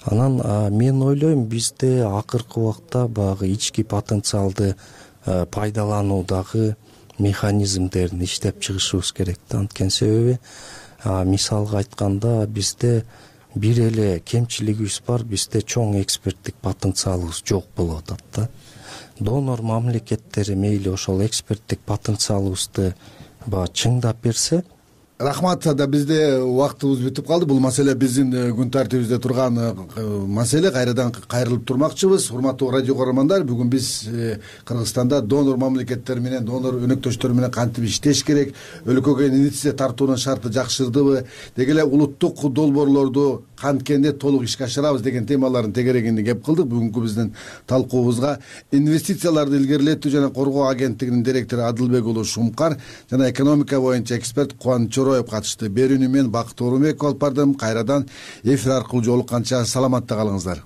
Анан мен ойлойм, бизде акыркы убакта баягы ички потенциалды пайдалануудагы механизмдерин иштеп чыгышыбыз керек да. Анткени себеби мисалга айтканда бизде бир эле кемчилигибиз бар, бизде чоң эксперттик потенциалыбыз жок болуп атат да. Донор мамлекеттери мейли ошол эксперттик потенциалыбызды чыңдап берсе. Рахмат, да бизде убактыбыз бүтүп калды. Бул маселе биздин күн тартибибизде турган маселе. Кайрадан кайрылып турмакчыбыз. Урматтуу радио көрөрмандар, бүгүн биз Кыргызстанда донор мамлекеттер менен, донор өнөктөштөр менен кантип иштеш керек, өлкөгө инвестиция тартуунун шарты жакшырдыбы, деги эле улуттук долбоорлорду канткенде толук ишке ашырабыз деген темалардын тегерегинде кеп кылдык. Бүгүнкү биздин талкуубузга инвестицияларды илгерилетүү жана коргоо агенттигинин директору Адылбек уулу Шумкар жана экономика боюнча эксперт Кубаныч Чороев катышты. Берүүнү мен Бакыт Оорунбеков алып бардым. Кайрадан эфир аркылуу жолукканча саламатта калыңыздар.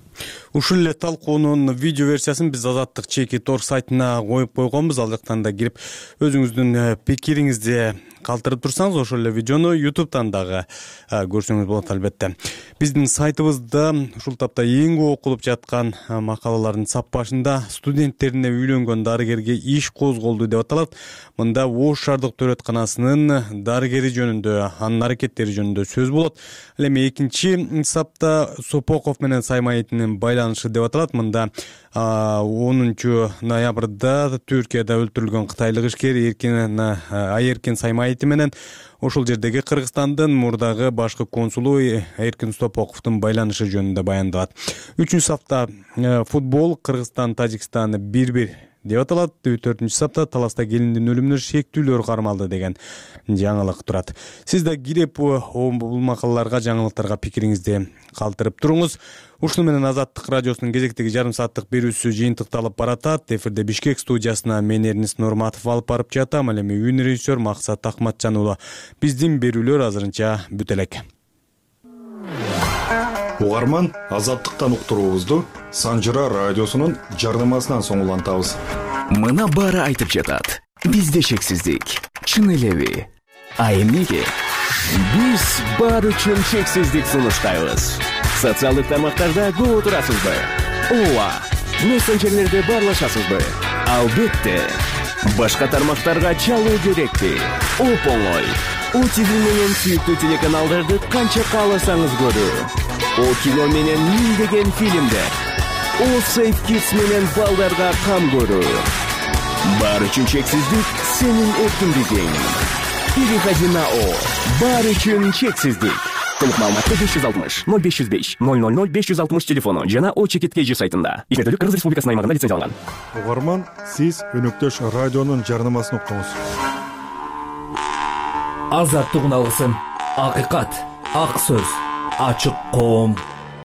Ушул эле талкуунун видео версиясын биз Азаттык чеки tor сайтына коюп койгонбуз. Ал жактан да кирип өзүңүздүн пикириңизди калтырып турсаңыз, ошол эле видеону YouTube'тан дагы көрсөңүз болот албетте. Биздин сайтыбызда ушул тапта эң көп окулуп жаткан макалалардын саппашында студенттерине үйлөнгөн дарыгерге иш козголду деп аталат. Мында Ош шаардык төрөтканасынын дарыгери жөнүндө, анын аракеттери жөнүндө сөз болот. Ал эми экинчи сапта Сопоков менен Саймаитинин байланышы деп аталат. Мында 10 ноябрда Түркияда өлтүрүлгөн кытайлык ишкер Айеркин Саймаити менен ошол жердеги Кыргызстандын мурдагы башкы консулу Эркин Сопоковдун байланышы жөнүндө баяндалат. 3-сапта футбол Кыргызстан Тажикстан 1-1 деп аталат. 4-сапта таласта келиндин өлүмүнө шектүүлөр кармалды деген жаңылык турат. Сиз да кирип бул макалаларга, жаңылыктарга пикириңизди калтырып туруңуз. Ушуну менен Азаттык радиосунун кезектеги жарым сааттык берүүсү жыйынтыкталып баратат. Эфирде Бишкек студиясына мен Эрнис Нурматов алып барып жатам. Ал эми үн режиссер Максат Акматжан уулу. Биздин берүүлөр азырынча бүт элек. Угарман, Азаттыктан уктуруубузду Санжыра радиосунун жарнамасынан соң улантабыз. Мына баары айтып жатат. Бизде шексиздик. Чын элеби? А эмнеге? Биз баары үчүн шексиздик сунуштайбыз. Социалдык тармактарда көп отурасызбы? Ооба. Мессенджерлерде баарлашасызбы? Албетте. Башка тармактарга чалуу керекпи? Оп-оңой. ОТВ менен сүйүктүү телеканалдарды канча кааласаңыз көрүү. О кино менен миңдеген фильмдер. О Safe Kids менен балдарга кам көрүү. Баары үчүн чексиздик сенин эркиндигиң. Переходи на О. Баары үчүн чексиздик. Толук маалыматты 560 0505 000 560 телефону жана О чекит KG сайтында. Ишмердүүлүк Кыргыз Республикасынын аймагында лицензияланган. Угарман, сиз өнөктөш радионун жарнамасын уктуңуз. Азаттык үн алгысын, акыйкат, ак сөз, ачык коом.